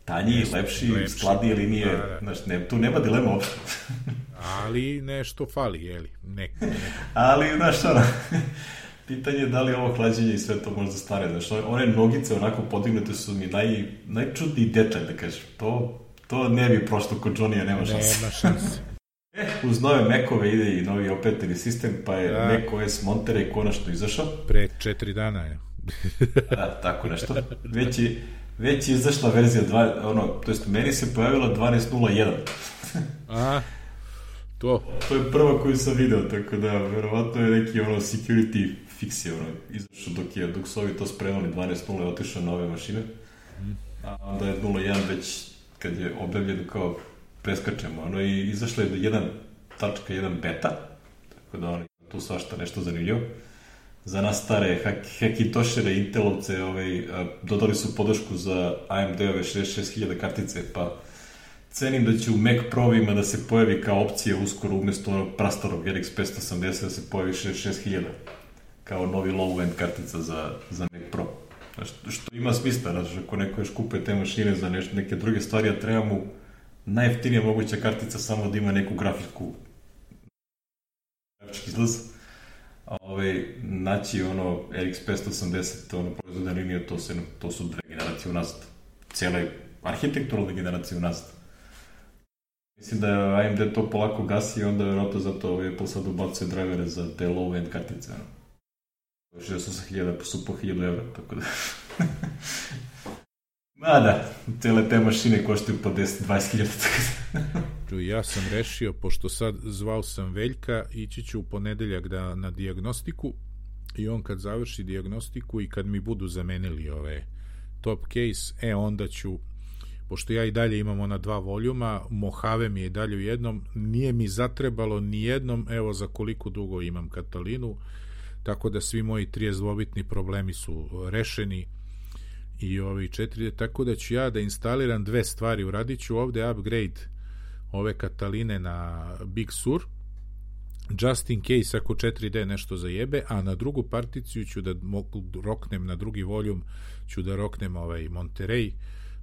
Speaker 1: tanji, Jeste, lepši, lepši, skladnije linije, da, da. Znaš, ne, tu nema dilema uopšte.
Speaker 2: Ali nešto fali, jeli, neko. neko.
Speaker 1: Ali, znaš, ono, pitanje je da li ovo hlađenje i sve to možda stane, znaš, one nogice onako podignute su mi naj, najčudniji detalj, da kažem, to, to ne bi prošlo kod Johnny-a, nema šanse.
Speaker 2: Nema šanse.
Speaker 1: E, uz nove Macove ide i novi operativni sistem, pa je da. Mac O S Monterey konačno izašao.
Speaker 2: Pre četiri dana je.
Speaker 1: Da, tako nešto. Već je, već je izašla verzija dva, ono, to jest meni se pojavila dvanaest nula jedan.
Speaker 2: A, to.
Speaker 1: To je prva koju sam video, tako da, verovatno je neki ono security fix je ono, izašao dok je, dok su ovi to spremali, dvanaest nula je otišao na ove mašine, a onda je nula jedan već, kad je objavljeno kao preskačemo, ono, i izašlo je jedan tačka jedan beta, tako da ono, tu svašta nešto zanimljivo. Za nas stare Hackintoshire, Intelovce, ovaj, dodali su podršku za A M D-ove šezdeset šest hiljada kartice, pa cenim da će u Mac Pro-vima da se pojavi kao opcija uskoro umjesto onog prastarog R X petsto osamdeset da se pojavi šezdeset šest hiljada kao novi low-end kartica za, za Mac Pro. Znaš, što ima smisla, znaš, ako neko još kupuje te mašine za nešto, neke druge stvari, a treba mu najjeftinija moguća kartica samo da ima neku grafičku grafički izlaz. Ove, naći ono R X petsto osamdeset, ono proizvodna linija, to, se, to su dve generacije unazad. Cijela arhitekturalna generacija unazad. Mislim da A M D to polako gasi i onda vjerojatno zato Apple sad ubacuje drivere za te low-end kartice. No. šezdeset osam hiljada su po hiljadu evra, tako da... Mada, cijele te mašine koštaju po deset do dvadeset hiljada.
Speaker 2: Ja sam rešio, pošto sad zvao sam Veljka, ići ću u ponedeljak da, na dijagnostiku i on kad završi dijagnostiku i kad mi budu zamenili ove top case, e onda ću, pošto ja i dalje imam ona dva voljuma, Mojave mi je dalje u jednom, nije mi zatrebalo ni jednom, evo za koliko dugo imam Katalinu, tako da svi moji tridesetdvobitni problemi su rešeni i ovi četiri, tako da ću ja da instaliram dve stvari, uradit ću ovde upgrade ove Kataline na Big Sur, just in case ako četiri D nešto zajebe, a na drugu particiju ću da mogu roknem na drugi voljum, ću da roknem ovaj Monterey,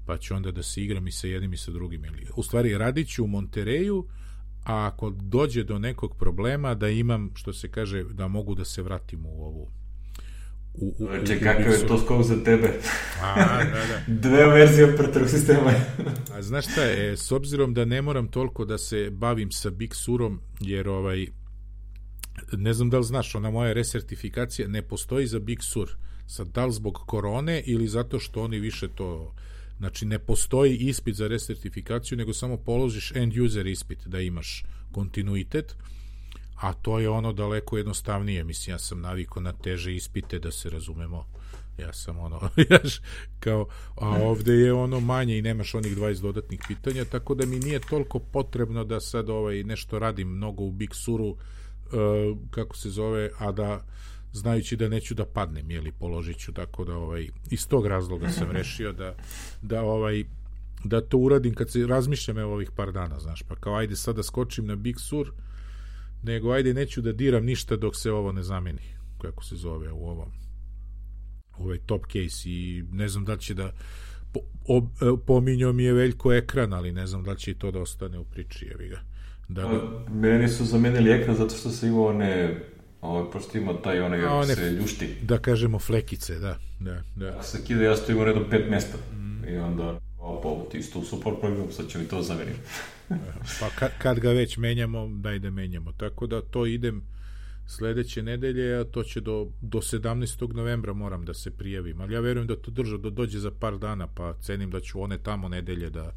Speaker 2: pa ću onda da se igram i sa jednim i sa drugim. U stvari, radit ću u Montereju, a ako dođe do nekog problema, da imam, što se kaže, da mogu da se vratim u ovu U, u,
Speaker 1: Če, kakav je to skok za tebe?
Speaker 2: A, da, da.
Speaker 1: Dve verzije operativnog sistema.
Speaker 2: A znaš šta je, s obzirom da ne moram toliko da se bavim sa Big Surom, jer ovaj, ne znam da li znaš, ona moja resertifikacija ne postoji za Big Sur. Sad, da li zbog korone ili zato što oni više to... Znači, ne postoji ispit za resertifikaciju, nego samo položiš end user ispit, da imaš kontinuitet, a to je ono daleko jednostavnije. Mislim, ja sam navikao na teže ispite, da se razumemo. Ja sam ono, jaš, kao, a ovde je ono manje i nemaš onih dvadeset dodatnih pitanja, tako da mi nije toliko potrebno da sad ovaj, nešto radim mnogo u Big Suru, uh, kako se zove, a da znajući da neću da padnem, jeli, položit ću, tako da ovaj, iz tog razloga sam rešio da, da ovaj da to uradim kad se razmišljam evo ovih par dana, znaš, pa kao ajde sad da skočim na Big Sur, nego ajde neću da diram ništa dok se ovo ne zameni, kako se zove u ovom ovaj top case, i ne znam da li će da po, ob, pominjao mi je Veljko ekran, ali ne znam da li će i to da ostane u priči, jevi ga. Da,
Speaker 1: da... Meni su zamenili ekran zato što se imao one Ovo, pošto ima taj onaj, one, se ljušti.
Speaker 2: Da kažemo flekice, da. da, da.
Speaker 1: Ako se kida, ja stojim u redom pet mjesta. Mm. I onda, opa, ti isto u super program, sad će mi to zameniti.
Speaker 2: Pa kad, kad ga već menjamo, daj da menjamo. Tako da to idem sledeće nedelje, a to će do, do sedamnaestog novembra moram da se prijavim. Ali ja verujem da to drža, da dođe za par dana, pa cenim da ću one tamo nedelje da,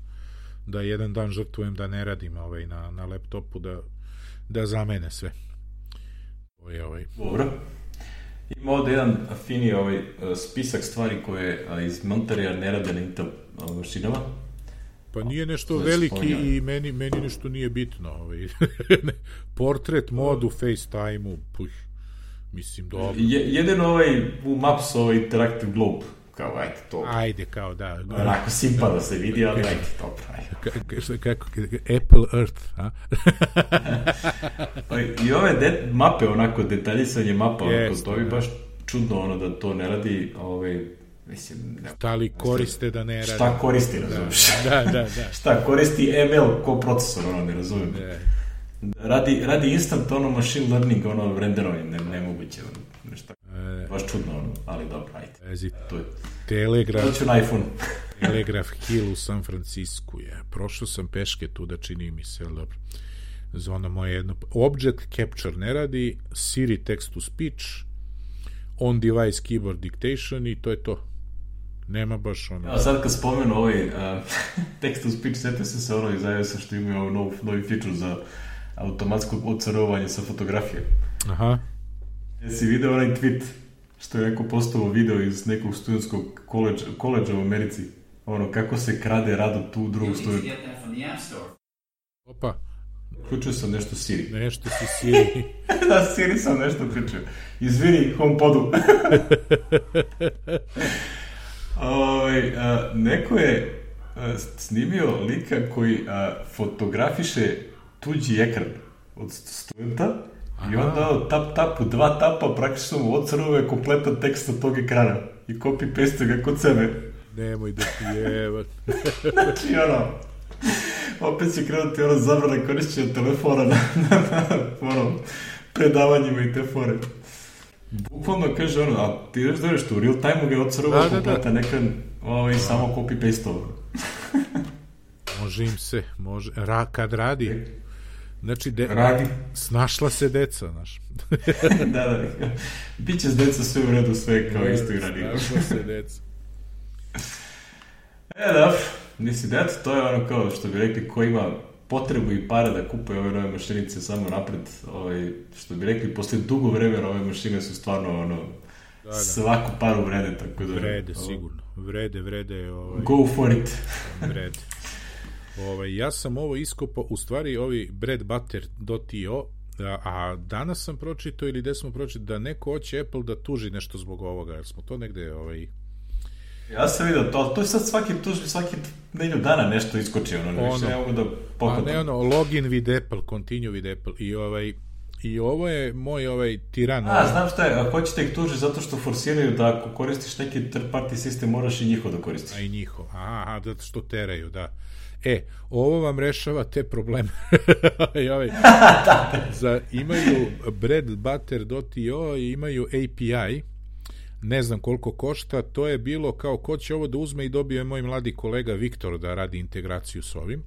Speaker 2: da jedan dan žrtvujem da ne radim ovaj, na, na laptopu, da, da zamene sve. Ovaj, ovaj.
Speaker 1: Dobro. Ima ovdje jedan fini ovaj, spisak stvari koje iz Monterija ne rade na Intel mašinama.
Speaker 2: Pa nije nešto veliki i meni, meni nešto nije bitno. Ovaj. Portret modu, FaceTime-u, puš, mislim, dobro.
Speaker 1: Je, jedan ovaj u Maps, ovaj Interactive Globe, kao, ajde, to.
Speaker 2: Ajde, kao, da.
Speaker 1: Onako simpa da se vidi, ali ajde, dobro, ajde.
Speaker 2: Kako, Apple Earth, a?
Speaker 1: Pa i ove de, mape, onako, detaljisanje mapa,
Speaker 2: yes,
Speaker 1: onako, to bi baš čudno, ono, da to ne radi, ovaj, mislim... Ne,
Speaker 2: šta li koriste da ne radi?
Speaker 1: Šta koristi, razumiješ?
Speaker 2: Da, da, da.
Speaker 1: Šta koristi M L ko procesor, ono, ne razumijem. Da. Radi, radi instant, ono, machine learning, ono, renderovanje, ne, nemoguće, ono, nešto. E, baš čudno, ono, ali dobro, ajde.
Speaker 2: Ezi,
Speaker 1: to je.
Speaker 2: Telegraf,
Speaker 1: to ću na iPhone.
Speaker 2: Telegraf Hill u San Francisku je. Prošao sam peške tu da čini mi se, ali dobro. Za ono moje jedno... Object Capture ne radi, Siri Text to Speech, On Device Keyboard Dictation i to je to. Nema baš ono...
Speaker 1: Ja, sad kad spomenu ovaj uh, Text to Speech, sjetio se se ono iz iOS-a što imaju ovaj nov, novi feature za automatsko odcarovanje sa fotografije.
Speaker 2: Aha.
Speaker 1: Jesi video onaj tweet što je neko postavio video iz nekog studentskog koleđa u Americi, ono, kako se krade rado tu u drugog studenta.
Speaker 2: Opa.
Speaker 1: Uključio sam nešto Siri.
Speaker 2: Nešto si Siri.
Speaker 1: Da, Siri sam nešto uključio. Izvini, HomePodu. Ove, a, neko je a, snimio lika koji a, fotografiše tuđi ekran od studenta. Aha. I onda tap tap u dva tapa praktično mu odsrove kompletan tekst od tog ekrana i copy-paste ga kod sebe.
Speaker 2: Nemoj da ti jevat.
Speaker 1: Znači ono, opet će krenuti ono zabrana korišćenja telefona na, na, na ono, predavanjima i te fore. Bukvalno kaže ono, a ti već dođeš tu, u real time-u ga je odsrvao kompletan ekran ovaj, samo copy-paste ovo.
Speaker 2: Može im se, može, Ra, kad radi... E. Znači, de...
Speaker 1: radi.
Speaker 2: Snašla se deca, znaš.
Speaker 1: da, da. Biće s deca sve u redu, sve kao isto i radi.
Speaker 2: Snašla se deca.
Speaker 1: E, da, nisi det, to je ono kao što bi rekli, ko ima potrebu i para da kupuje ove nove mašinice samo napred, ovaj, što bi rekli, posle dugo vremena ove mašine su stvarno ono, da, da. Svaku paru vrede, tako da...
Speaker 2: Vrede, ovo... sigurno. Vrede, vrede. Ovaj...
Speaker 1: Go for it.
Speaker 2: Vrede. Ovaj, ja sam ovo iskopao, u stvari ovi bread butter dot i o, a, a danas sam pročitao ili gde smo pročitao da neko hoće Apple da tuži nešto zbog ovoga, jer smo to negde... Ovaj...
Speaker 1: Ja sam vidio to, to je sad svaki tuži, svaki nedelju dana nešto iskoči, ono, ono više ne mogu da pohvatam.
Speaker 2: A ne ono, login with Apple, continue with Apple, i ovaj... I ovo je moj ovaj tiran.
Speaker 1: A, ovaj... znam šta je, ako hoćete ih tuži zato što forsiraju da ako koristiš neki third party sistem, moraš i njihov da koristiš.
Speaker 2: A i njihov, aha, zato što teraju, da. E, ovo vam rešava te probleme. I ovaj, za, imaju bread butter dot i o i imaju A P I ne znam koliko košta, to je bilo kao ko će ovo da uzme i dobije moj mladi kolega Viktor da radi integraciju s ovim.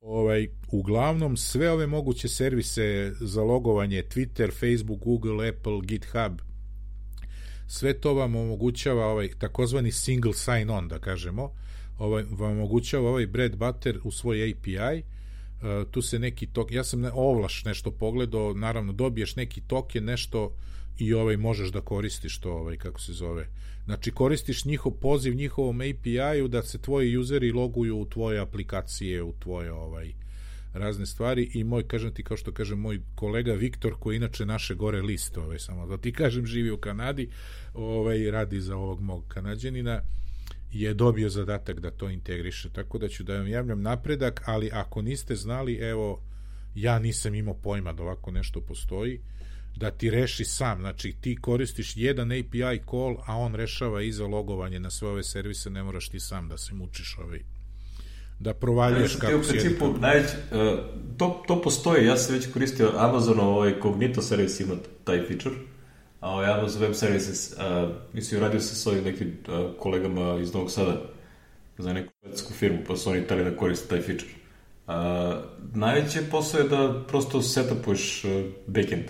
Speaker 2: Ovaj, uglavnom sve ove moguće servise za logovanje, Twitter, Facebook, Google, Apple, GitHub, sve to vam omogućava ovaj takozvani single sign on, da kažemo, ovaj, vam omogućava ovaj bread butter u svoj A P I. Uh, tu se neki tok, ja sam ne, ovlaš nešto pogledao, naravno dobiješ neki token, nešto i ovaj možeš da koristiš to, ovaj, kako se zove, znači koristiš njihov poziv njihovom A P I-u da se tvoji useri loguju u tvoje aplikacije, u tvoje ovaj razne stvari. I moj, kažem ti, kao što kažem, moj kolega Viktor, koji inače naše gore list, ovaj, samo da ti kažem, živi u Kanadi, ovaj, radi za ovog mog Kanađanina, je dobio zadatak da to integriše, tako da ću da vam javljam napredak. Ali ako niste znali, evo, ja nisam imao pojma da ovako nešto postoji, da ti reši sam, znači ti koristiš jedan A P I call, a on rešava i za logovanje na sve ove servise, ne moraš ti sam da se mučiš ovaj, da provaljuješ
Speaker 1: ja,
Speaker 2: kako
Speaker 1: u principu, najveć, uh, to, to postoji, ja sam već koristio Amazonov ovaj Cognito servis, ima taj feature, a ovaj Amazon Web Services, uh, mislim, radio se s ovim nekim uh, kolegama iz Novog Sada za neku švedsku firmu, pa su oni tali da koriste taj feature. Uh, najveće posao je da prosto setupuješ uh, backend,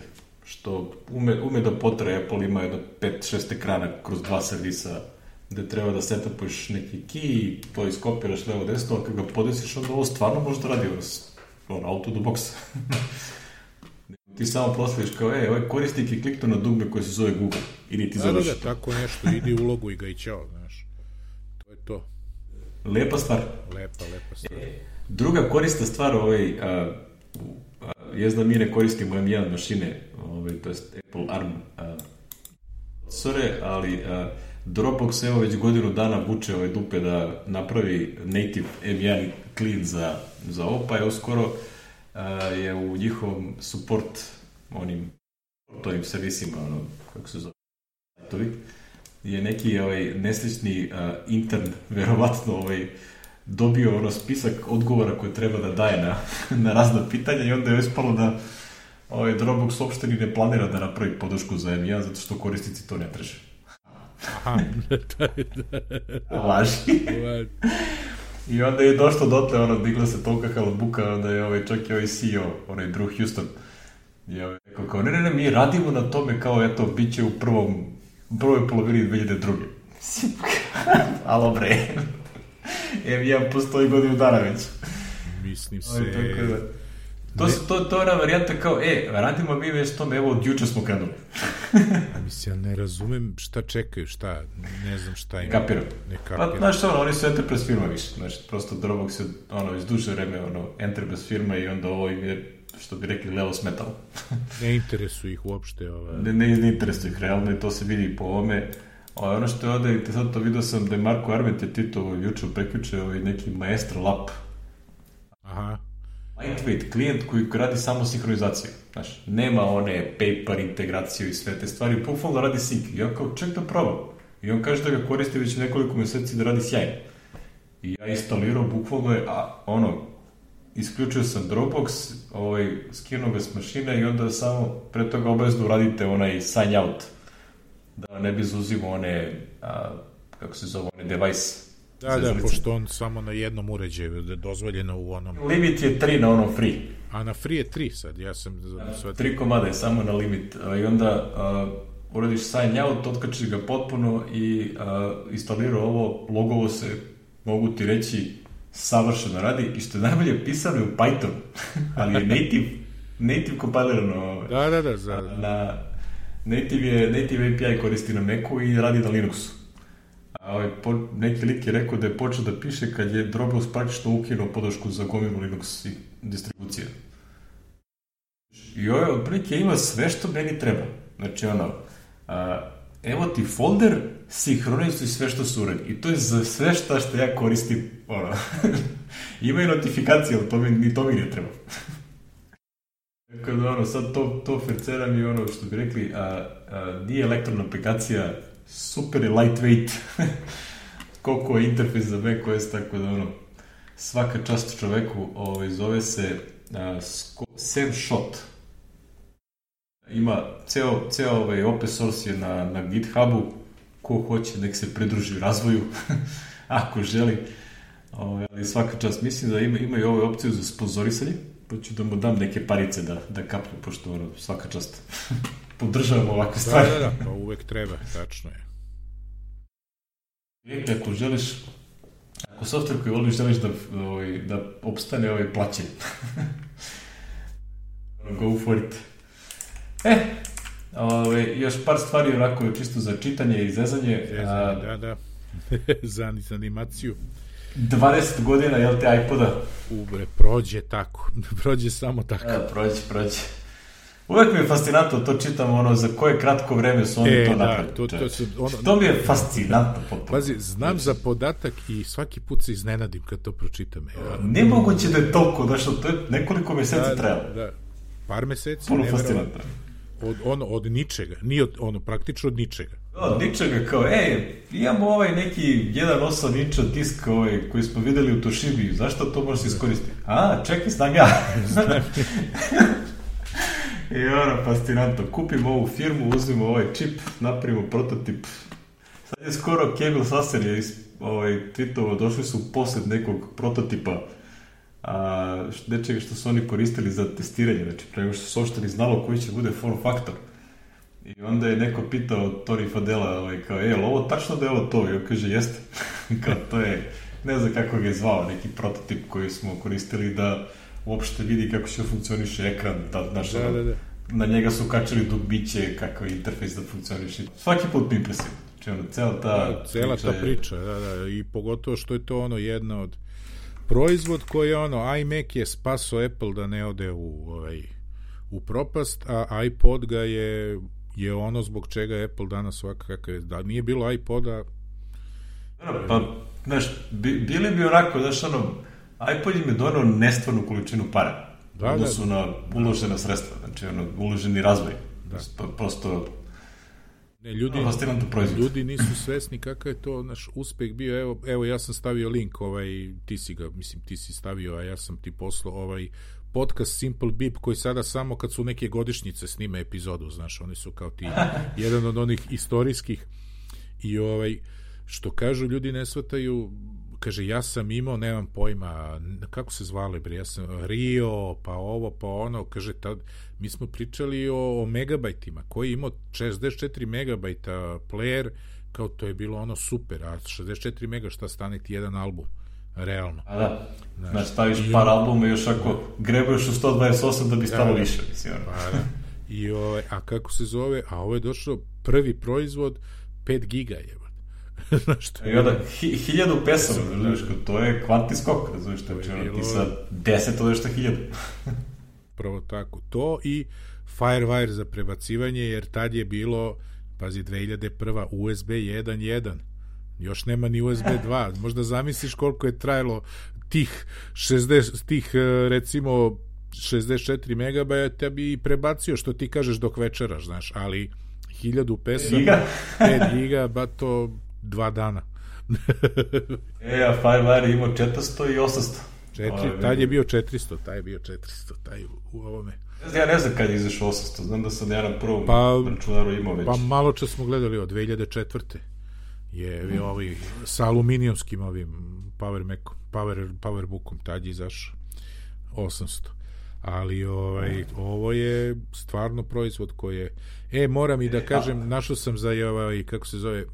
Speaker 1: što ume, ume da potre. Apple ima jedno pet šest ekrana kroz dva servisa gde treba da setupuješ neki key, to iskopiraš levo desno, a kad ga podesiš, onda ovo stvarno može da radi on, auto do boxa. Ti samo prosliš kao, e, ovaj korisnik je kliknuo na dugme koje se zove Google, ili ti završi.
Speaker 2: Da, da, tako nešto, idi u ulogu i ga i ćao, znaš. To je to.
Speaker 1: Lepa stvar.
Speaker 2: Lepa, lepa stvar.
Speaker 1: E, druga korista stvar, ovaj, a, a, je da mi ne koristimo M jedan mašine, ovaj, to je Apple ARM procesore, ali a, Dropbox evo već godinu dana vuče ove dupe da napravi native M jedan clean za, za ovo, pa je uskoro uh, je u njihovom support onim tovim servisima, ono, kako se zove, je neki ovaj, neslični uh, intern, verovatno ovaj, dobio ono spisak odgovora koje treba da daje na, na razna pitanja i onda je ispalo da ovaj, Dropbox uopšte ni ne planira da napravi podršku za M jedan, zato što korisnici to ne traže.
Speaker 2: Aha, da, da.
Speaker 1: Laži. I onda je došlo dotle, ono, digla se tolika halabuka, onda je ovaj, čak i ovaj C E O, onaj Drew Houston, je ovaj, rekao kao, ne, ne, ne, mi radimo na tome kao, eto, bit će u prvom, u prvoj polovini dve hiljade druge. Alo, bre. M jedan postoji godinu dana već.
Speaker 2: Mislim se...
Speaker 1: Ovaj, tako da... To, su, to, to je ona varijanta kao, e, radimo mi već tome, evo, od juče smo krenuli.
Speaker 2: A mislim, ja ne razumem šta čekaju, šta, ne znam šta im...
Speaker 1: Ne kapiram.
Speaker 2: Ne kapiram.
Speaker 1: Pa, znaš, ono, oni su enterprise firma više, znači, prosto Dropbox je, ono, iz duže vreme, ono, enterprise firma i onda ovo im je, što bi rekli, levo smetalo.
Speaker 2: Ne interesuje ih uopšte, ova...
Speaker 1: Ne, ne, ne interesuje ih, realno, i to se vidi po ovome. O, ono što je ovde, te sad to vidio sam da je Marko Arment je tito juče prekjuče, ovaj neki Maestro Lab.
Speaker 2: Aha.
Speaker 1: Lightweight klijent koji radi samo sinhronizaciju. Znaš, nema one paper integraciju i sve te stvari, bukvalno radi sync. I ja kao, ček da probam. I on kaže da ga koristi već nekoliko meseci da radi sjajno. I ja instalirao, bukvalno je, a, ono, isključio sam Dropbox, ovaj, skinuo ga s mašine i onda samo pre toga obavezno uradite onaj sign out. Da ne bi zauzimo one, a, kako se zove, one device.
Speaker 2: Da, da, pošto on samo na jednom uređaju, da je dozvoljeno u onom...
Speaker 1: Limit je tri na onom free.
Speaker 2: A na free je tri sad, ja sam...
Speaker 1: Ja, tri komada je samo na limit. I onda uh, uradiš sign out, otkačiš ga potpuno i uh, instalirao ovo, logovo se, mogu ti reći, savršeno radi i što je najbolje pisano u Python, ali je native, native kompilirano.
Speaker 2: Da, da, da. Za...
Speaker 1: Na, native, je, native A P I koristi na Macu i radi na Linuxu. Ovaj, po, neki lik je rekao da je počeo da piše kad je Dropbox praktično ukinuo podršku za gomilu Linux i distribucije. I ovaj otprilike ima sve što meni treba. Znači ono, a, evo ti folder, sinhronizuj sve što su uredi. I to je za sve šta što ja koristim. Ono. Ima i notifikacije, ali to mi, ni to mi ne treba. Tako da ono, sad to, to ferceram i ono što bi rekli, a, a, nije elektronna aplikacija, super je lightweight, koliko je interfejs za macOS, tako da ono, svaka čast čoveku, ovaj, zove se uh, Sam Schott. Ima ceo, ceo ovaj open source je na, na GitHubu, ko hoće nek se pridruži razvoju, ako želi. Ovaj, ali svaka čast, mislim da ima, ima i ovu opciju za sponzorisanje, pa ću da mu dam neke parice da, da kapnu, pošto ono, svaka čast podržavamo ovakve stvari.
Speaker 2: Da, da, da, pa uvek treba, tačno je.
Speaker 1: I ako želiš, ako software koji voliš želiš da, ovaj, da opstane ovaj plaćen, go for it. E, ove, još par stvari onako čisto za čitanje i zezanje.
Speaker 2: Zezanje, da, da. za, za animaciju.
Speaker 1: dvadeset godina, jel te, iPoda?
Speaker 2: Ubre, prođe tako. prođe samo tako.
Speaker 1: E, prođe, prođe. Uvek mi je fascinantno, to čitam, ono, za koje kratko vreme su oni
Speaker 2: e,
Speaker 1: to
Speaker 2: da,
Speaker 1: napravili.
Speaker 2: To, to, su, ono,
Speaker 1: to mi je fascinantno. Potpuno.
Speaker 2: Pazi, znam za podatak i svaki put se iznenadim kad to pročitam. Ja.
Speaker 1: Nemoguće da je toliko, da što to je nekoliko meseci
Speaker 2: da,
Speaker 1: trajalo.
Speaker 2: Da, da. Par meseci.
Speaker 1: Puno fascinantno.
Speaker 2: Od, ono, od ničega. Nije od, ono, praktično od ničega.
Speaker 1: Od ničega, kao, ej, imamo ovaj neki jedan osam inča disk ovaj, koji smo videli u Toshibi, zašto to možeš iskoristiti? A, čekaj, znam ja. I ono, fascinantno. Kupimo ovu firmu, uzmimo ovaj čip, napravimo prototip. Sad je skoro Kegel Sasser je ovaj, tweetovo, došli su u posjed nekog prototipa a, nečega što su oni koristili za testiranje, znači prema što su ošte ni znalo koji će bude form faktor. I onda je neko pitao Tori Fadela, ovaj, kao, je, ovo tačno da je ovo to? I on kaže, jeste. Kao, to je, ne znam kako ga je zvao, neki prototip koji smo koristili da uopšte vidi kako će funkcioniše ekran, da, znaš,
Speaker 2: da, da, da.
Speaker 1: Na njega su kačali dugbiće, kakav interfejs da funkcioniše. Svaki put mi impresivno. Znači, ono, cela ta,
Speaker 2: da, cela priča, ta priča je... da, da, i pogotovo što je to ono jedna od proizvod koji je ono, iMac je spaso Apple da ne ode u, ovaj, u propast, a iPod ga je je ono zbog čega je Apple danas ovakav kakav je. Da nije bilo iPoda...
Speaker 1: Pa, znaš, bi, bili bi onako, znaš, ono, iPod im je donao nestvarnu količinu para.
Speaker 2: Da,
Speaker 1: odnosu
Speaker 2: da,
Speaker 1: na uložena sredstva, znači, ono, uloženi razvoj. Da. Prosto...
Speaker 2: Ne, ljudi, ljudi nisu svesni kakav je to naš uspeh bio. Evo, evo, ja sam stavio link, ovaj, ti si ga, mislim, ti si stavio, a ja sam ti poslao ovaj podcast Simple Beep, koji sada samo kad su neke godišnjice snime epizodu, znaš, oni su kao ti jedan od onih istorijskih i ovaj, što kažu ljudi ne shvataju, kaže, ja sam imao, nemam pojma, kako se zvali, bre, ja sam Rio, pa ovo, pa ono, kaže, tad, mi smo pričali o, o megabajtima, koji je imao šezdeset četiri megabajta player, kao to je bilo ono super, a šezdeset četiri mega šta stane ti jedan album, realno.
Speaker 1: A da, znaš, znaš staviš par albuma i još ako grebuješ u sto dvadeset osam da bi stalo da, više, mislim.
Speaker 2: Pa da. I ovaj, a kako se zove, a ovo je došlo prvi proizvod pet giga je. Znaš, to je...
Speaker 1: I onda, hi, hiljadu pesama, znaš, to je kvantni skok, razumiješ, to je ono, ti sa deset odeš na hiljadu.
Speaker 2: Pravo tako, to i Firewire za prebacivanje, jer tad je bilo, pazi, dve hiljade prva U S B jedan jedan, još nema ni U S B dva, možda zamisliš koliko je trajalo tih šezdeset, tih recimo šezdeset četiri megabajta bi prebacio, što ti kažeš dok večeraš, znaš, ali hiljadu pesama, pet giga, ba to dva dana.
Speaker 1: e, a Firewire je imao četiristo i osamsto.
Speaker 2: Četiri, taj je bio četiristo, taj je bio četiristo, taj u, u ovome.
Speaker 1: Ja ne znam kad je izašao osamsto, znam da sam ja na prvom pa, računaru imao već.
Speaker 2: Pa malo čas smo gledali od dve hiljade četvrte je hmm. ovaj, sa aluminijumskim ovim Power Macom, Power, Powerbookom, tad je izašao osamsto. Ali ovaj, ovo je stvarno proizvod koji je... E, moram i da kažem, našao sam za ovaj, kako se zove,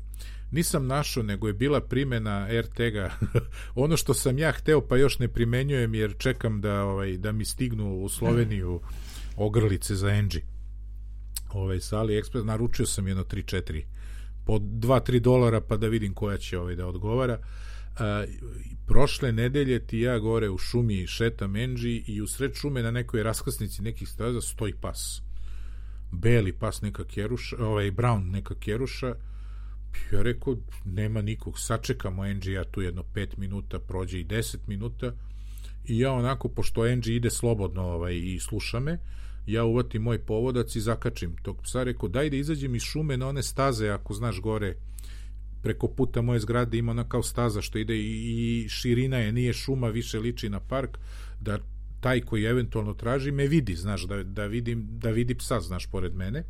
Speaker 2: nisam našao, nego je bila primjena er te ga. Ono što sam ja hteo, pa još ne primenjujem, jer čekam da, ovaj, da mi stignu u Sloveniju ogrlice za Engie. Ovaj, sa AliExpress, naručio sam jedno tri četiri po dva tri dolara, pa da vidim koja će ovaj da odgovara. A, prošle nedelje ti ja gore u šumi šetam Engie i u sred šume na nekoj raskrsnici nekih staza stoji pas. Beli pas neka keruša, ovaj brown neka keruša. Ja rekao, nema nikog, sačekamo Engie, ja tu jedno pet minuta, prođe i deset minuta i ja onako, pošto Engie ide slobodno ovaj, i sluša me, ja uvatim moj povodac i zakačim tog psa, rekao, daj da izađem iz šume na one staze, ako znaš gore, preko puta moje zgrade ima ona kao staza što ide i, i širina je, nije šuma, više liči na park, da taj koji eventualno traži me vidi, znaš, da, da, vidim, da vidi psa, znaš, pored mene.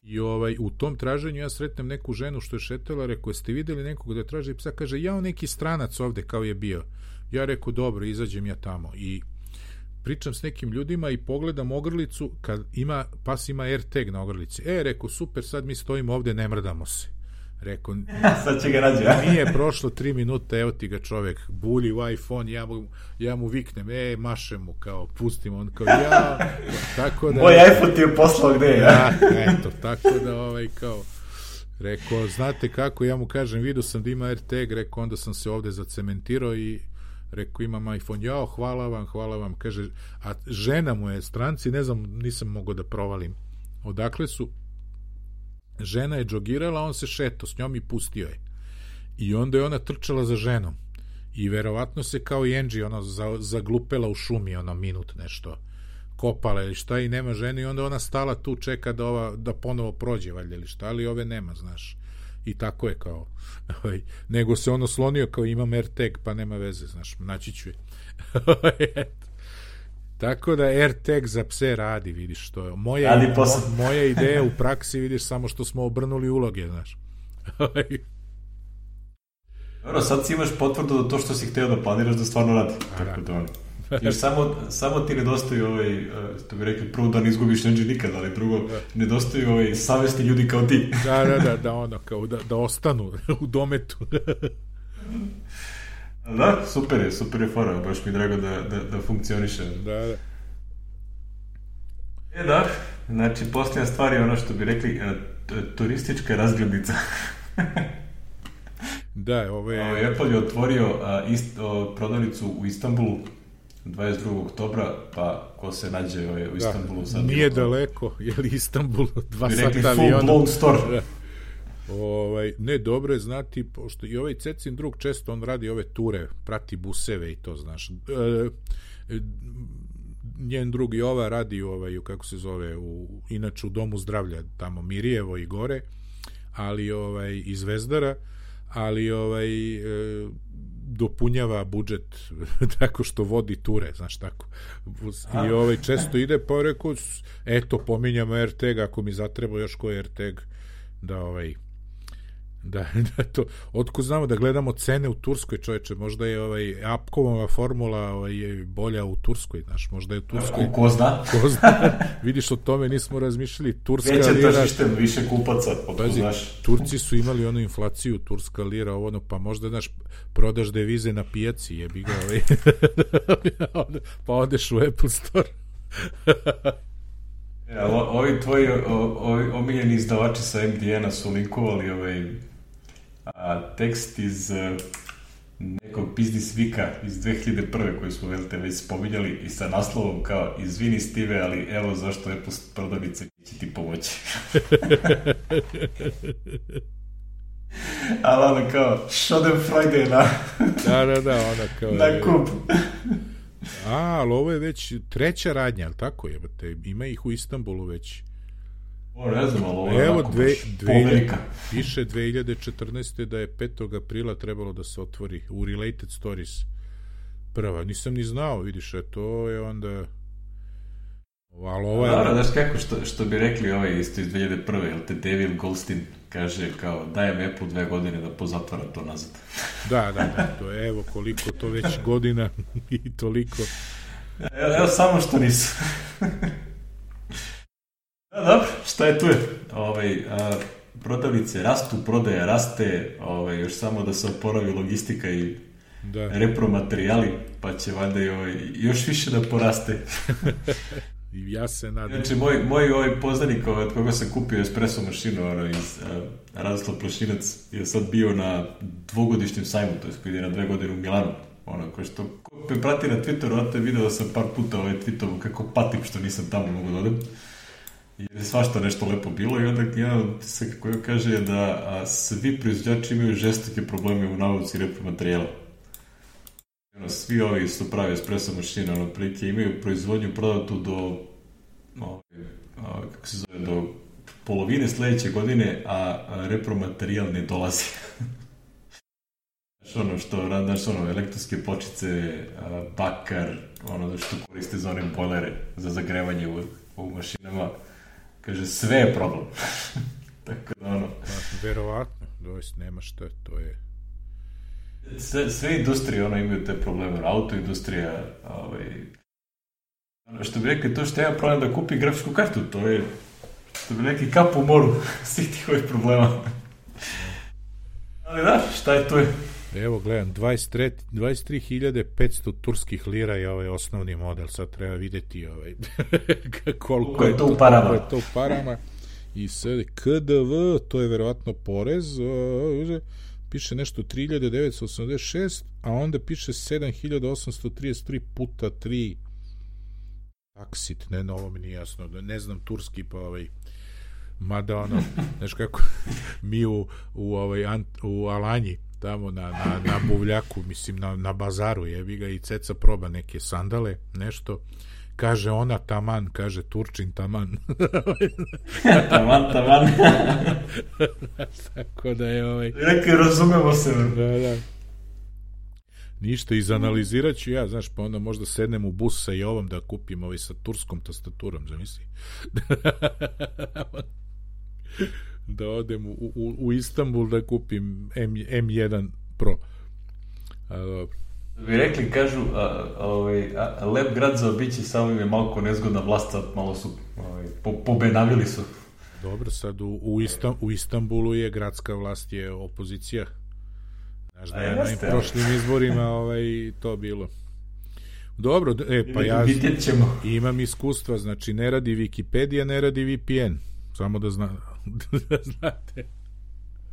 Speaker 2: I ovaj, u tom traženju ja sretnem neku ženu što je šetala, rekao, jeste videli nekog da traži psa? Kaže, ja neki stranac ovde kao je bio. Ja rekao, dobro, izađem ja tamo. I pričam s nekim ljudima i pogledam ogrlicu, kad ima, pas ima AirTag na ogrlici. E, rekao, super, sad mi stojimo ovde, ne mrdamo se. Rekao,
Speaker 1: sad će ga rađa.
Speaker 2: Nije prošlo tri minuta, evo ti ga čovek, bulji u iPhone, ja mu, ja mu viknem, e, mašem mu, kao, pustim, on kao, ja, tako da...
Speaker 1: Moj iPhone ti je poslao gde, ja?
Speaker 2: Ja, eto, tako da, ovaj, kao, rekao, znate kako, ja mu kažem, vidio sam da ima AirTag, rekao, onda sam se ovde zacementirao i rekao, imam iPhone, jao, hvala vam, hvala vam, kaže, a žena mu je stranci, ne znam, nisam mogao da provalim odakle su. Žena je džogirala, on se šeto s njom i pustio je. I onda je ona trčala za ženom. I verovatno se kao i Angie ono zaglupela u šumi, ono minut nešto. Kopala ili šta i nema žene i onda ona stala tu, čeka da, ova, da ponovo prođe valjda ili šta, ali ove nema, znaš. I tako je kao. Nego se ono slonio kao imam AirTag, pa nema veze, znaš, naći ću je. Tako da AirTag za pse radi, vidiš što je. Moja, mo, moja ideja u praksi, vidiš, samo što smo obrnuli uloge, znaš.
Speaker 1: Dobro, sad si imaš potvrdu da to što si hteo da planiraš da stvarno radi. Tako da on. Jer samo, samo ti nedostaju ovaj, to bi rekli, prvo da ne izgubiš neđe nikad, ali drugo, da. Nedostaju ovaj savjesni ljudi kao ti.
Speaker 2: Da, da, da, da, ono, kao da, da ostanu u dometu.
Speaker 1: Da, super je, super je fora, baš mi je drago da, da, da funkcioniše.
Speaker 2: Da, da.
Speaker 1: E da, znači posljednja stvar je ono što bi rekli, turistička razglednica.
Speaker 2: Da, ovo je...
Speaker 1: Apple je otvorio a, ist, o, prodavnicu u Istanbulu dvadeset drugog oktobra, pa ko se nađe o, u Istanbulu...
Speaker 2: Da, sad nije daleko, je li Istanbul dva
Speaker 1: bi
Speaker 2: sata
Speaker 1: rekli full blown store.
Speaker 2: Da. Ovaj, ne, dobro je znati, pošto i ovaj Cecin drug često on radi ove ture, prati buseve i to, znaš. E, njen drug Jova radi ovaj, kako se zove, u, inače u Domu zdravlja, tamo Mirjevo i gore, ali ovaj, iz Zvezdara, ali ovaj, e, dopunjava budžet tako što vodi ture, znaš tako. I ovaj, često ide, pa rekao, eto, pominjam AirTag, ako mi zatreba još koji AirTag, da ovaj da, da to, otko znamo da gledamo cene u Turskoj, čoveče, možda je ovaj Apkovova formula ovaj, je bolja u Turskoj, znaš, možda je u Turskoj
Speaker 1: ko zna,
Speaker 2: ko zna. Vidiš, o tome nismo razmišljali. Turska
Speaker 1: veće
Speaker 2: lira,
Speaker 1: tržište, više kupaca,
Speaker 2: pazi, znaš. Turci su imali onu inflaciju, turska lira, ovo, pa možda, znaš, prodaš devize na pijaci, jebi ga, ovaj. Pa odeš u Apple Store.
Speaker 1: Ja, ovi tvoji ovi omiljeni izdavači sa em de en-a su linkovali ovaj a, tekst iz a, nekog Business Weeka iz dve hiljade prve koji smo velte već spominjali i sa naslovom kao izvini Steve, ali evo zašto Apple prodavnice će ti pomoći. Ali ono kao Schadenfreude na
Speaker 2: da, da, da, ona kao
Speaker 1: na kup.
Speaker 2: A, ali ovo je već treća radnja, ali tako je, ima ih u Istanbulu već.
Speaker 1: O, ne znam, ali ovo je
Speaker 2: evo,
Speaker 1: onako
Speaker 2: dve,
Speaker 1: baš
Speaker 2: dve,
Speaker 1: povelika.
Speaker 2: Piše dve hiljade četrnaeste da je petog aprila trebalo da se otvori u Related Stories prva. Nisam ni znao, vidiš, a to je onda... Ali ovo je...
Speaker 1: Dobro, znaš kako, što, što bi rekli ovaj isto iz dve hiljade prve, jel te David Goldstein kaže kao dajem Apple dve godine da pozatvara to nazad.
Speaker 2: Da, da, da, to je, evo koliko to već godina i toliko.
Speaker 1: Evo, evo samo što nisu. Da, dobro, šta je tu je? Ovaj, a, prodavnice rastu, prodaja raste, ovaj, još samo da se oporavi logistika i da. Repromaterijali, pa će valjda i ovaj, još više da poraste.
Speaker 2: Ja se nadam.
Speaker 1: Znači, moj, moj ovaj poznanik od koga sam kupio espresso mašinu ono, iz uh, Radoslav Plašinac je sad bio na dvogodišnjem sajmu, to je koji ide na dve godine u Milanu. Ono, ko što ko me prati na Twitteru, onda je video da sam par puta ovaj tweetovo kako patim što nisam tamo mogu da odem. Jer je svašta nešto lepo bilo i onda jedan se koji kaže da a, svi proizvođači imaju žestoke probleme u nabavci repromaterijala. Ono, svi ovi su pravi espresso mašine, ono, prilike imaju proizvodnju prodatu do, no, a, kako se zove, do polovine sledeće godine, a, a repromaterijal ne dolazi. Ono što, znaš, ono, elektronske pločice, bakar, ono što koriste za one bojlere za zagrevanje u, u mašinama, kaže, sve je problem. Tako da, ono...
Speaker 2: Pa, verovatno, doista nema šta, to je...
Speaker 1: Sve, sve industrije, ono, imaju te probleme, autoindustrija, ovaj... Ono, što bi rekli, to što ja problem da kupi grafičku kartu, to je, što bi rekli, kap u moru svih tih ovih problema. Ali da, šta je to je?
Speaker 2: Evo, gledam, dvadeset tri hiljade petsto turskih lira je ovaj osnovni model, sad treba vidjeti ovaj, koliko je to u parama. Je to u parama. I sad, K D V, to je verovatno porez, uh, piše nešto tri hiljade devetsto osamdeset šest, a onda piše sedam hiljada osamsto trideset tri puta tri taksit, ne, ovo mi nije jasno, ne znam turski, pa ovaj, mada ono, znaš kako, mi u, u, ovaj, u Alanji, tamo na, na, na buvljaku, mislim, na, na bazaru, jebi ga, i ceca proba neke sandale, nešto, kaže ona taman, kaže Turčin taman.
Speaker 1: taman, taman.
Speaker 2: Tako da je ovaj...
Speaker 1: Neki razumemo se.
Speaker 2: Da, da. Ništa, izanalizirat ću ja, znaš, pa onda možda sednem u bus sa Jovom da kupim ovaj sa turskom tastaturom, zamisli. Da odem u, u, u Istanbul da kupim M jedan Pro. A, dobro.
Speaker 1: Vi rekli, kažu, a, a, ovaj, a, lep grad za obići, samo im je malko nezgodna vlast, sad malo su, ovaj, po, pobenavili su.
Speaker 2: Dobro, sad u, u, Istam, u Istanbulu je gradska vlast, je opozicija. Znaš da je na im prošlim izborima ovaj, to bilo. Dobro, e, pa ja imam iskustva, znači ne radi Wikipedia, ne radi V P N, samo da, zna, da znate.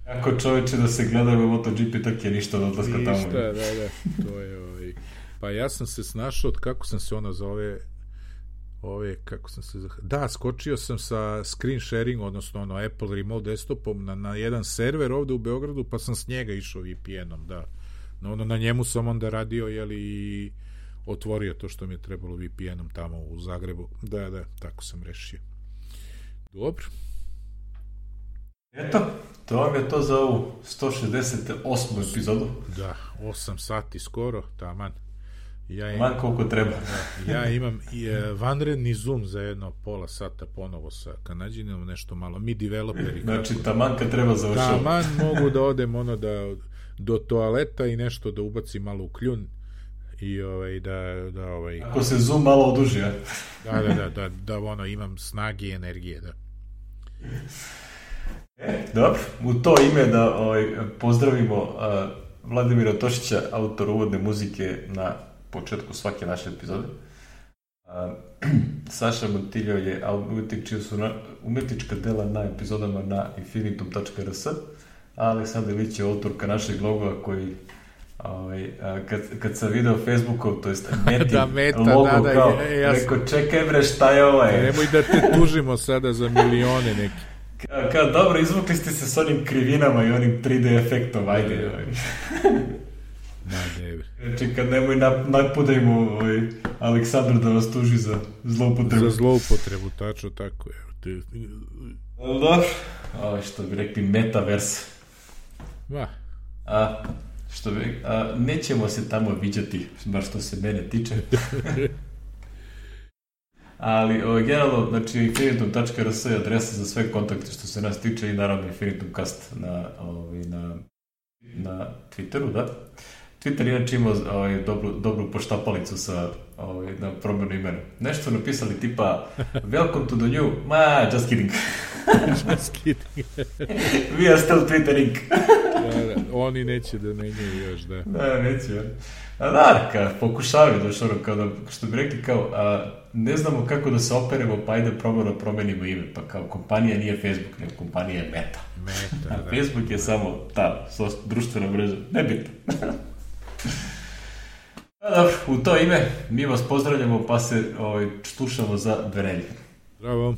Speaker 1: Ako čoveče da se gledaju u MotoGP, tako je ništa od odlaska tamo.
Speaker 2: Ništa, da, da, to je ovaj. Pa ja sam se snašao od kako sam se ona zove, ove, kako sam se, da, skočio sam sa screen sharing, odnosno ono Apple Remote desktopom na, na jedan server ovde u Beogradu, pa sam s njega išao V P N-om, da. No, ono, na njemu sam onda radio, jeli, i otvorio to što mi je trebalo V P N-om tamo u Zagrebu. Da, da, tako sam rešio. Dobro.
Speaker 1: Eto, to vam je to za ovu sto šezdeset osmu epizodu.
Speaker 2: Da, osam sati skoro, taman. Ja
Speaker 1: Man koliko treba.
Speaker 2: Da, ja imam i, e, vanredni Zoom za jedno pola sata ponovo sa Kanadžinom, nešto malo. Mi developeri.
Speaker 1: Znači, taman kad treba završati.
Speaker 2: Taman mogu da odem ono da, do toaleta i nešto da ubacim malo u kljun i ovaj, da, da ovaj...
Speaker 1: Ako se Zoom malo oduži, ja?
Speaker 2: Da, da, da, da, da, ono, imam snage i energije, da.
Speaker 1: E, dobro, u to ime da ovaj, pozdravimo uh, Vladimira Tošića, autor uvodne muzike na početku svake naše epizode. Uh, Saša Montiljo je umetnik čija su na, umetnička dela na epizodama na infinitum tačka r s, a Aleksandar Ilić je autorka našeg logoa koji ovaj, kad, kad sam video Facebookov, to jest Meti
Speaker 2: da, meta,
Speaker 1: logo,
Speaker 2: da, da,
Speaker 1: kao,
Speaker 2: ja, ja
Speaker 1: rekao, čekaj bre, šta je ovaj?
Speaker 2: Nemoj da te tužimo sada za milione neki.
Speaker 1: Kao, kao, dobro, izvukli ste se s onim krivinama i onim tri D efektom, ajde. Ovaj.
Speaker 2: Da, debre.
Speaker 1: Znači, kad nemoj napudajmo ovaj, Aleksandar da vas tuži za zloupotrebu.
Speaker 2: Za zloupotrebu, tačno tako je.
Speaker 1: Dobro, ovo što bi rekli metaverse.
Speaker 2: Va.
Speaker 1: A, što bi, a, nećemo se tamo viđati, bar što se mene tiče. Ali, o, generalno, znači, infinitum tačka r s je adresa za sve kontakte što se nas tiče i naravno infinitumcast na, ovaj, na, na Twitteru, da. Twitter inače ima ovaj, dobru, dobru poštapalicu sa, ovaj, na promjenu imena. Nešto napisali tipa welcome to the new, ma, just kidding.
Speaker 2: Just kidding.
Speaker 1: We are still twittering.
Speaker 2: Da, da, oni neće da menjaju još, da.
Speaker 1: Da, neće. A da, ka, pokušavaju da što, kao da, što bi rekli kao, a, ne znamo kako da se operemo, pa ajde probamo da promenimo ime. Pa kao kompanija nije Facebook, nego kompanija je Meta.
Speaker 2: Meta,
Speaker 1: a
Speaker 2: da.
Speaker 1: Facebook je samo ta društvena mreža. Nebitno. A dobro, u to ime mi vas pozdravljamo, pa se ovaj, slušamo za dve nedelje.
Speaker 2: Bravo.